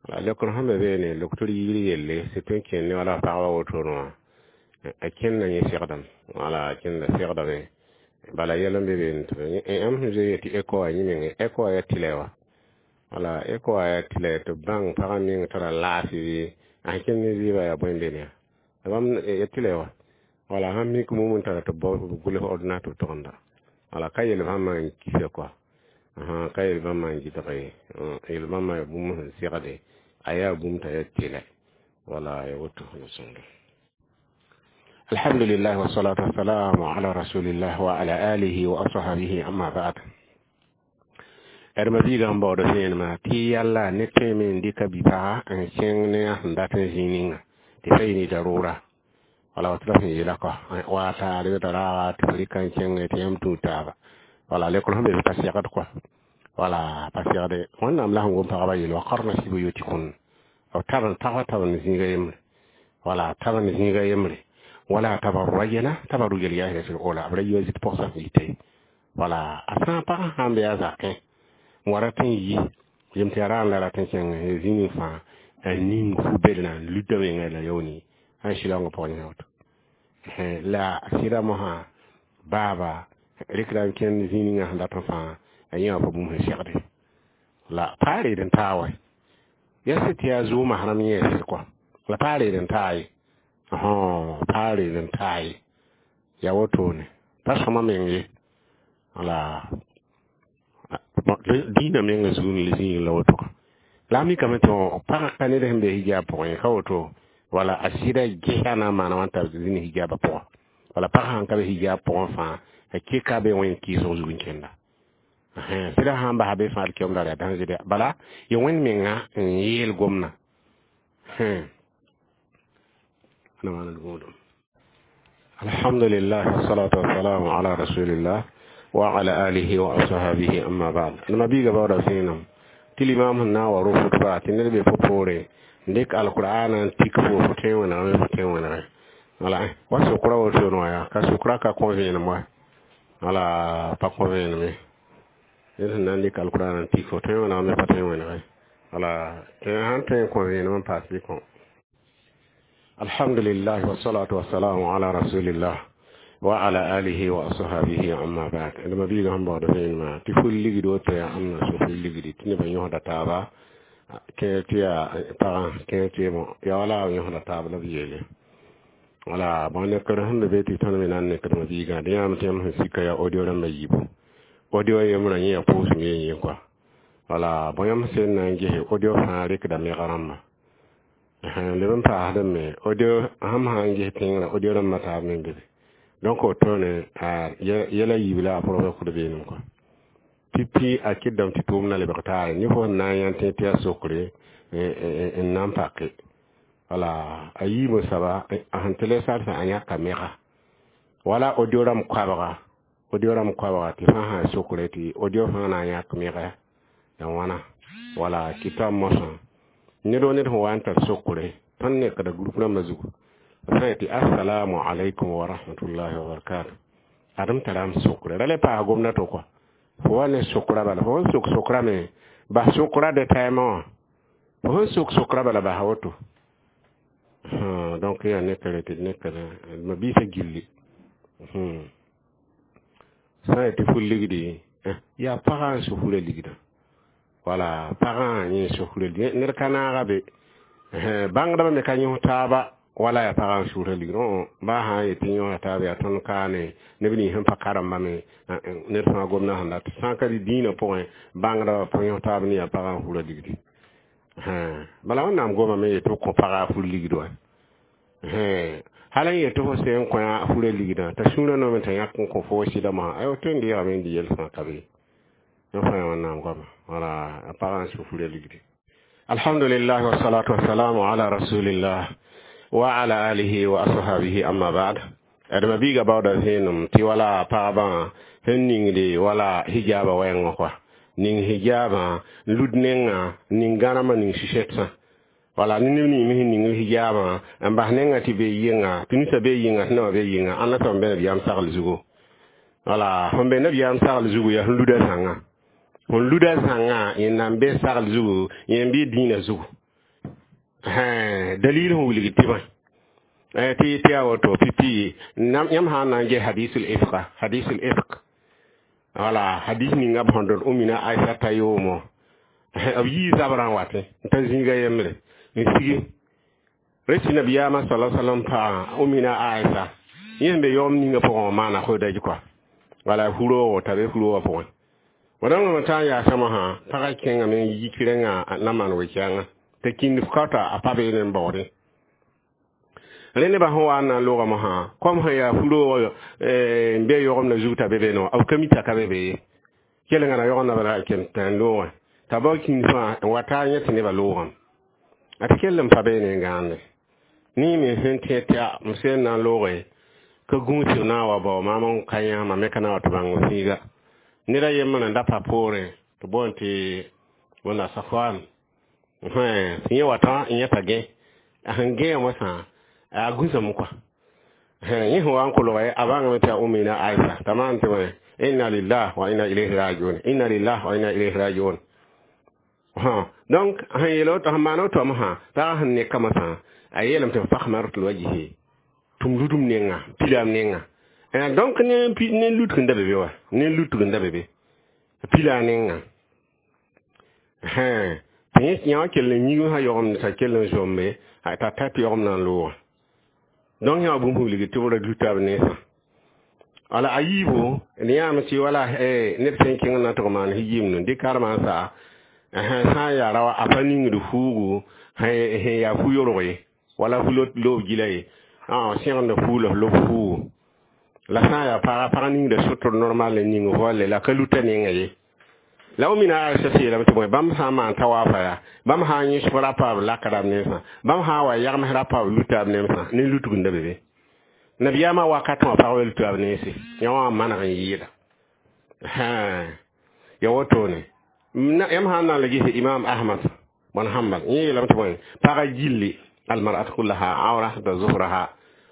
Wala lekr sẽn be beene loktor yiri yelle sɩ tõe n kẽnd ne wala pagba wotone wã a kẽnda yẽ segdame. Wala a kẽnda segdame bala yɛl n be beene tɩ yãmb sẽn zoe tɩ écho wã yẽ menge écho wã yaa tɩlɛ wa. Wala écho wã yaa tɩlɛ tɩ b bãng pagã meng tara laafɩ bɩ a sẽn kẽnd ne zɩɩbã yaa bõe n be ne bãmb ya tɩlɛ wa. Wala sãn mik mum n tara tɩ b gʋls ordinateur togenda. Wala ka yel bãmba n kisa kɔa, ka yel bãmba n gɩdg ye, yel bãmba yaa bũmb sẽn segde, a yaa bũmb t'a yaa tɩlɛ. Wala ya woto la sõngre. Alhamdulillah, wassalatu wassalamu ala rasulillah wa ala alihi wa ashabihi, amma ba'd. D mabiigã n baood vẽenemã tɩ yalla ne tõeme n dɩka bi-paga n kẽng ne a sẽn dat n zĩig ninga tɩ fa yɩ ne darʋʋra. Wala woto la sẽn yeela kɔ wa taar t'a raaga tɩ f rɩka n kẽnge tɩ yãmb tũud taaba. Wala lekr sẽn be pa segd kɔa, wala pa segde. Wẽnnaam la sẽn gom pagba yeel wa qarna fi buyutikun, b tab n tagsa tab n zĩiga yembre, wala tab n zĩiga yembre, wala tabarrajna tabarruj al-jahiliyyati al-ula, b ra yi wa zit pʋgsa sẽn yite. Wala a sã n pagã sãn be a zakẽ n wa rat n yi yem tɩ yaa raam la rat n kẽng zĩig ning fãa, a ning fu-bedrã n luta menga la yaooni sã n sɩlaoongã pʋgẽ yẽ woto la sɩda mosã baaba rɩkda n kẽnd zĩig ninga sẽn dat n fãa, a yẽ wã pa bũmb sẽn segde la pa reed n taa wa yaa sɩd tɩ yaa zʋʋma rãmb yẽesd kɔa, la pa reed n taa ye, pa reed n taa ye, yaa wotone pa sõma meng ye. Wala dĩinã mengã zug n zĩig la woto la a mikame tɩ pagã ka ned sẽn be hijab pʋgẽ ka woto. Wala a sɩda gesa na n maana wãn t'a zĩnd hijabã pʋgã. Wala pagã sãn ka be hijab pʋgẽ fãa, a keka be wẽn kɩɩsg zug n kẽnda sɩda sãn basa be fãa d keoom yaa danger. Bala ya wẽnd menga n yeel gomdã. Alhamdulillah, wassalatu wassalamu ala rasulillah wa ala alihi wa ashabihi, amma ba'd. Ma biiga bawda vẽenem tɩ limam sẽn na n wa ro fʋtba tɩ ned be fo poore n dɩk alqur'ana n tik fo, fo tõe n wẽnegame, fo tõe n wẽnege. Wala wa sokra wotone wã yaa ka sokra ka kõ vẽenem wa, wala pa kõ vẽenem ye. Ned sẽn na n dɩk alqur'ana n tik fo, tõe n wẽnegame, pa tõe n wẽnege. Wala sãn tõe n kõ vẽenem n paas bɩ kõ. Alhamdulillah, wassalatu wassalamu ala rasulillah wa ala alihi wa ashabihi, amma ba'd. D mabiigã sẽn baood vẽenemã tɩ ful ligd woto yaa ãmna sũ ful ligdi tɩ nebã yõsda taaba kẽer tɩ yaa pagã kẽer tɩ yaa wala yõsda taab la b yeele. Wala bõn nekr sẽn be tɩ tõnd me na n nekd mabiigã dẽ yãam tɩ yãmb sẽn sika yaa audio rãmbã yiibu, audio yembrã yẽ yaa pʋʋsem yen yen kɔa. Wala bõn yãmb sẽn na n ges audio fãa rɩkda mega rãmba leb n paasdẽ me audio sãmb sã n ges tẽngrã audio rãmbã taab me n be. Donc wotone yɛla yiib la a pʋrg kʋd beenem kɔa pipi a kɩdame tɩ tʋʋmdã lebg taare ne fo sẽn na n yã tẽ tɩ yaa sokre n na n pake. Wala a yiibã soaba a sẽn tɩ a yãka mega wala audio rãmb koabga, audio rãmb koabga tɩ fãa sã sokre tɩ audio fãa na n yãk mega ya wãna. Wala kɩta mosã ned o ned sẽn wa n tar sokre tõnd nekda group rãmbã zugu sã tɩ assalamu alaikum wa rahmatullahi wa barakatuh. Adem taram sokre ra le paas gomda to kɔa fo wa ne sokra bala, fo sẽn sok sokra me bas sokra de taimã wã, fo sẽn sok sokra bala basa woto. Donc yaa nekre tɩ d nekd ma biisã gilli sã n tɩ ful ligdi yaa pagã n so fura ligdã. Wala pagã yẽ so fura ligd, ned ka naaga be, bãngdbã me ka yõs taaba wala yaa pagã n sʋʋra ligd. Baa sã n yetɩ yõsa taab yaa tõnd kaane neb nins sẽn pa karemba me ned fãa gomdã sẽn dat sã n ka dɩ dĩinã pʋgẽ bãngdbã pa yõs taab ne yaa pagã n fura ligdi. Bala Wẽnnaam gomame yetɩ b kõ pagã a fur ligd wa hal n yetɩ fo sẽn kõ a fura ligdã t'a sũurã noome t'a yãk n kõ fo sɩda mosã ayo tõe n deegame n dɩ yɛl fãa ka be yõ fãa Wẽnnaam goama. Wala a pagã n sũ fura ligdi. Alhamdulillah, wassalatu wassalamu ala rasulillah wa ala alihi wa ashabihi, amma ba'd. D mabiiga baooda vẽenem tɩ wala pagbã sẽn ningde wala hijaba wɛɛngã kɔa ning hijabã n lud nengã ning gãremã ning sɩsɛtsã. Wala ne neb ning me sẽn ning hijabã n bas nengã tɩ be yɩnga tɩ ninsã be yɩnga tɩ nabã be yɩnga ãnna soab n be nabiyaam sagl zugu. Wala sẽn be nabiyaam sagl zugu yaa sẽn luda zãnga, sẽn luda zãnga yẽ nan be sagl zugu yẽ n bɩ dĩinã zugu dalil sẽn wilg tɩ bãe tɩ tɩ yaa woto pipi yãmb sã n na n ges hadisul ifka, hadisul ifk, wala hadis ninga b sẽn dõd Umina Aisa t'a yoomo b yii zabrã n watẽ n ta zĩiga yembre n sigi resi nabiyaamã sala salam pagã Umina Aisa yẽ sẽn be yaoom ninga pʋgẽ wã maana hodaj kɔa. Wala fu-rooogo t'a be fu-roogã pʋgẽ. Wẽnnaam tã n yaasã mosã pagã kẽngame n yik rẽngã na maan we-kɛɛngã t'a kĩnd kaota a pa beene n baoodẽ. Rẽ nebã sẽn wa n na n loogã mosã kom sẽn yaa fu-roog n be yogemdã zug t'a be be no b ka mi t'a ka be be ye. Kelengã na yogenda bala n ken t'a n loogẽ t'a bao kĩnd fãa n wa taa yẽ tɩ nebã loogame a tɩ kell n pa beene n gãande. Nii me sẽn tẽ tɩ m seen na n looge ka gũusb na n wa bao maam n ka yã mam me ka na wa tɩ bãng fĩiga. Ned a yembr n da pa poorẽ tɩ boond tɩ wẽnna Safwan tɩ yẽ watã n yẽta gẽ a sẽn gẽe mosã a gũsame kɔa. Yẽ sẽn wa n kolge a bãngame tɩ a Umina Aisha t'a maan tɩ wẽ inna lillah wa inna ilayhi rajiun, inna lillah wa inna ilayhi rajiun. Donc sẽn yeel woto, sẽn maan woto mosã pagã sẽn neka mosã a yeelame tɩ fakmartul wajhi tʋm ludum nenga pilam nenga. Donc ne lutg n da be be wa ne lutg n da be be pila nenga. Tɩ yẽ yã wã kell n yĩg sã yogemd t'a kell n zombe t'a ta tɩ yogem na n loogã. Donc yã wã bũmb wilg tɩ b ra luta b nensã. Wala a yiibo d yãame tɩ wala ned sẽn kẽng na tɩ maan yɩɩmd n dɩk karemã n sa sã n yaa ra a pa ningd fuugu sẽn yaa fu-yorg ye wala fu-loob gila ye sẽgend fuu la f lob fuugu la sã n yaa paga ningda sotr normal n ning voile la ka luta nenga ye. La Umina Aisha yeelame tɩ bõe bãmb sã n maan tawaafã yaa bãmb sã n yẽsg rapa b lakda b nensã bãmb sã n wa yagms rapa b luta b nensã ne lutg n da be be. Nabiyaamã wakat wã pagba luta b nense yã wã maneg n yɩɩda. Ya wotone yãmb sã n na n la ges Imam Ahmad bõn Hambal yẽ yeelame tɩ bõe pagã gilli almar'at kullaha awra da zuhraha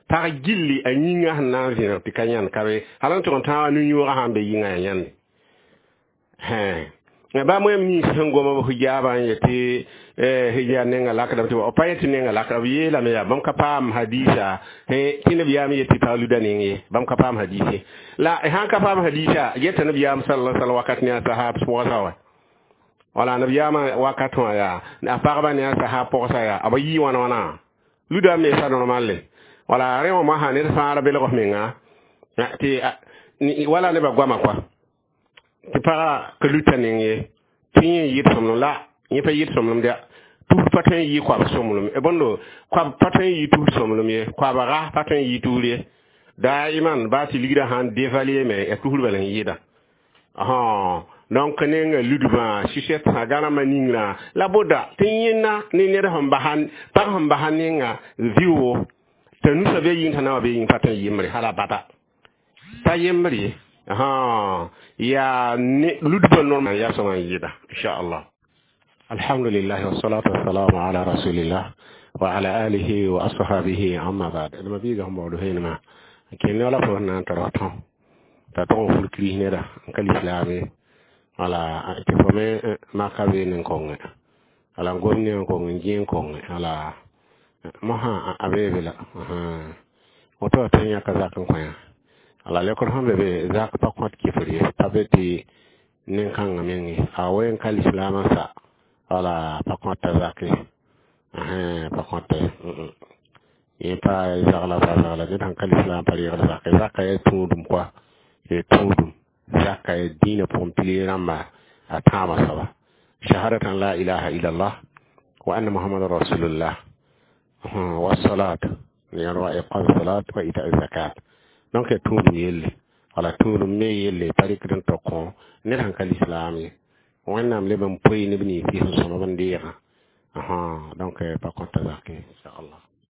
pag gilli a yĩngã sẽn na n vẽneg tɩ ka yãnd ka be hal n tʋg n tãag nu-yõogã sã n be yĩngã yaa yãnde. Ba moyam nins sẽn gom b hijaabã n yetɩ hijab nenga lakdame tɩ b pa yetɩ nenga lakda b yeelame yaa bãmb ka paam hadisa tɩ nabiyaam yetɩ pag luda neng ye bãmb ka paam hadise la sãn ka paam hadisa geta nabiyaam sallallahu alaihi wakat ne a sahab pʋgsa wa wala nabiyaamã wakat wã yaa a pagba ne a sahab pʋgsa yaa b yɩ wãna wãna luda me sa normal le wala rẽ wã mosã ned fãa ra belg f menga tɩ wala nebã goama kɔa tɩ pagã ka luta neng ye tɩ yẽ yɩɩd sõmblem la yẽ pa yɩɩd sõmblem dɛ tus pa tõe n yɩ koab sõmblem bõndo koab pa tõe n yɩ tus sõmblem ye koabga pa tõe n yɩ tusr ye daiman baa tɩ ligrã sãn dévaluer me ya tusr bala n yɩɩda. Donc nenga ludbã sɩsɛt sã gãnamã ningrã la boda tɩ yẽnna ne ned sẽn basa pag sẽn basa nenga vɩʋʋgo t'a nusã be yĩng t'a na wa be yĩng pa tõe n yembre hala bada pa yembre ye yaa ludbã normal yaa sõma n yɩɩda inchallah. Alhamdulillah wassalatu wassalamu ala rasulillah wa ala alihi wa ashabihi amma ba'd. D ma biiga sẽn baood vẽenemã kẽnd wala fo na n tar wa tõ t'a tʋg n ful kiris neda n ka lislaam ye wala tɩ fo me maka beene n kongẽ wala n gom ne n kong n gẽ n kongẽ wala mosã a beebe la woto wa tõe n yãka zak n kõ yã wala lekr sẽn be be zak pa kõt kifr ye pa be tɩ nen-kãngã meng ye a wen ka lislaamã sa wala pa kõta zak ye pa kõta ye yẽ pa zagla pa zagla ned sãn ka lislaam pa reegd zak ye zakã yaa tũudum kɔa yaa tũudum zaka ya dĩinã pʋgẽ pili rãmba a tãabã soaba shahadatan la ilaha illallah wa anna muhammadan rasulullah wa salat wa iqam salat wa ita zakat. Donc ya tũudum yelle wala tũudum me yelle pa rɩkd n tɩ kõ ned sãn ka lislaam ye wẽnnaam leb n poe neb nins sẽn sõmb n deegã donc pa kõta zak ye inchallah.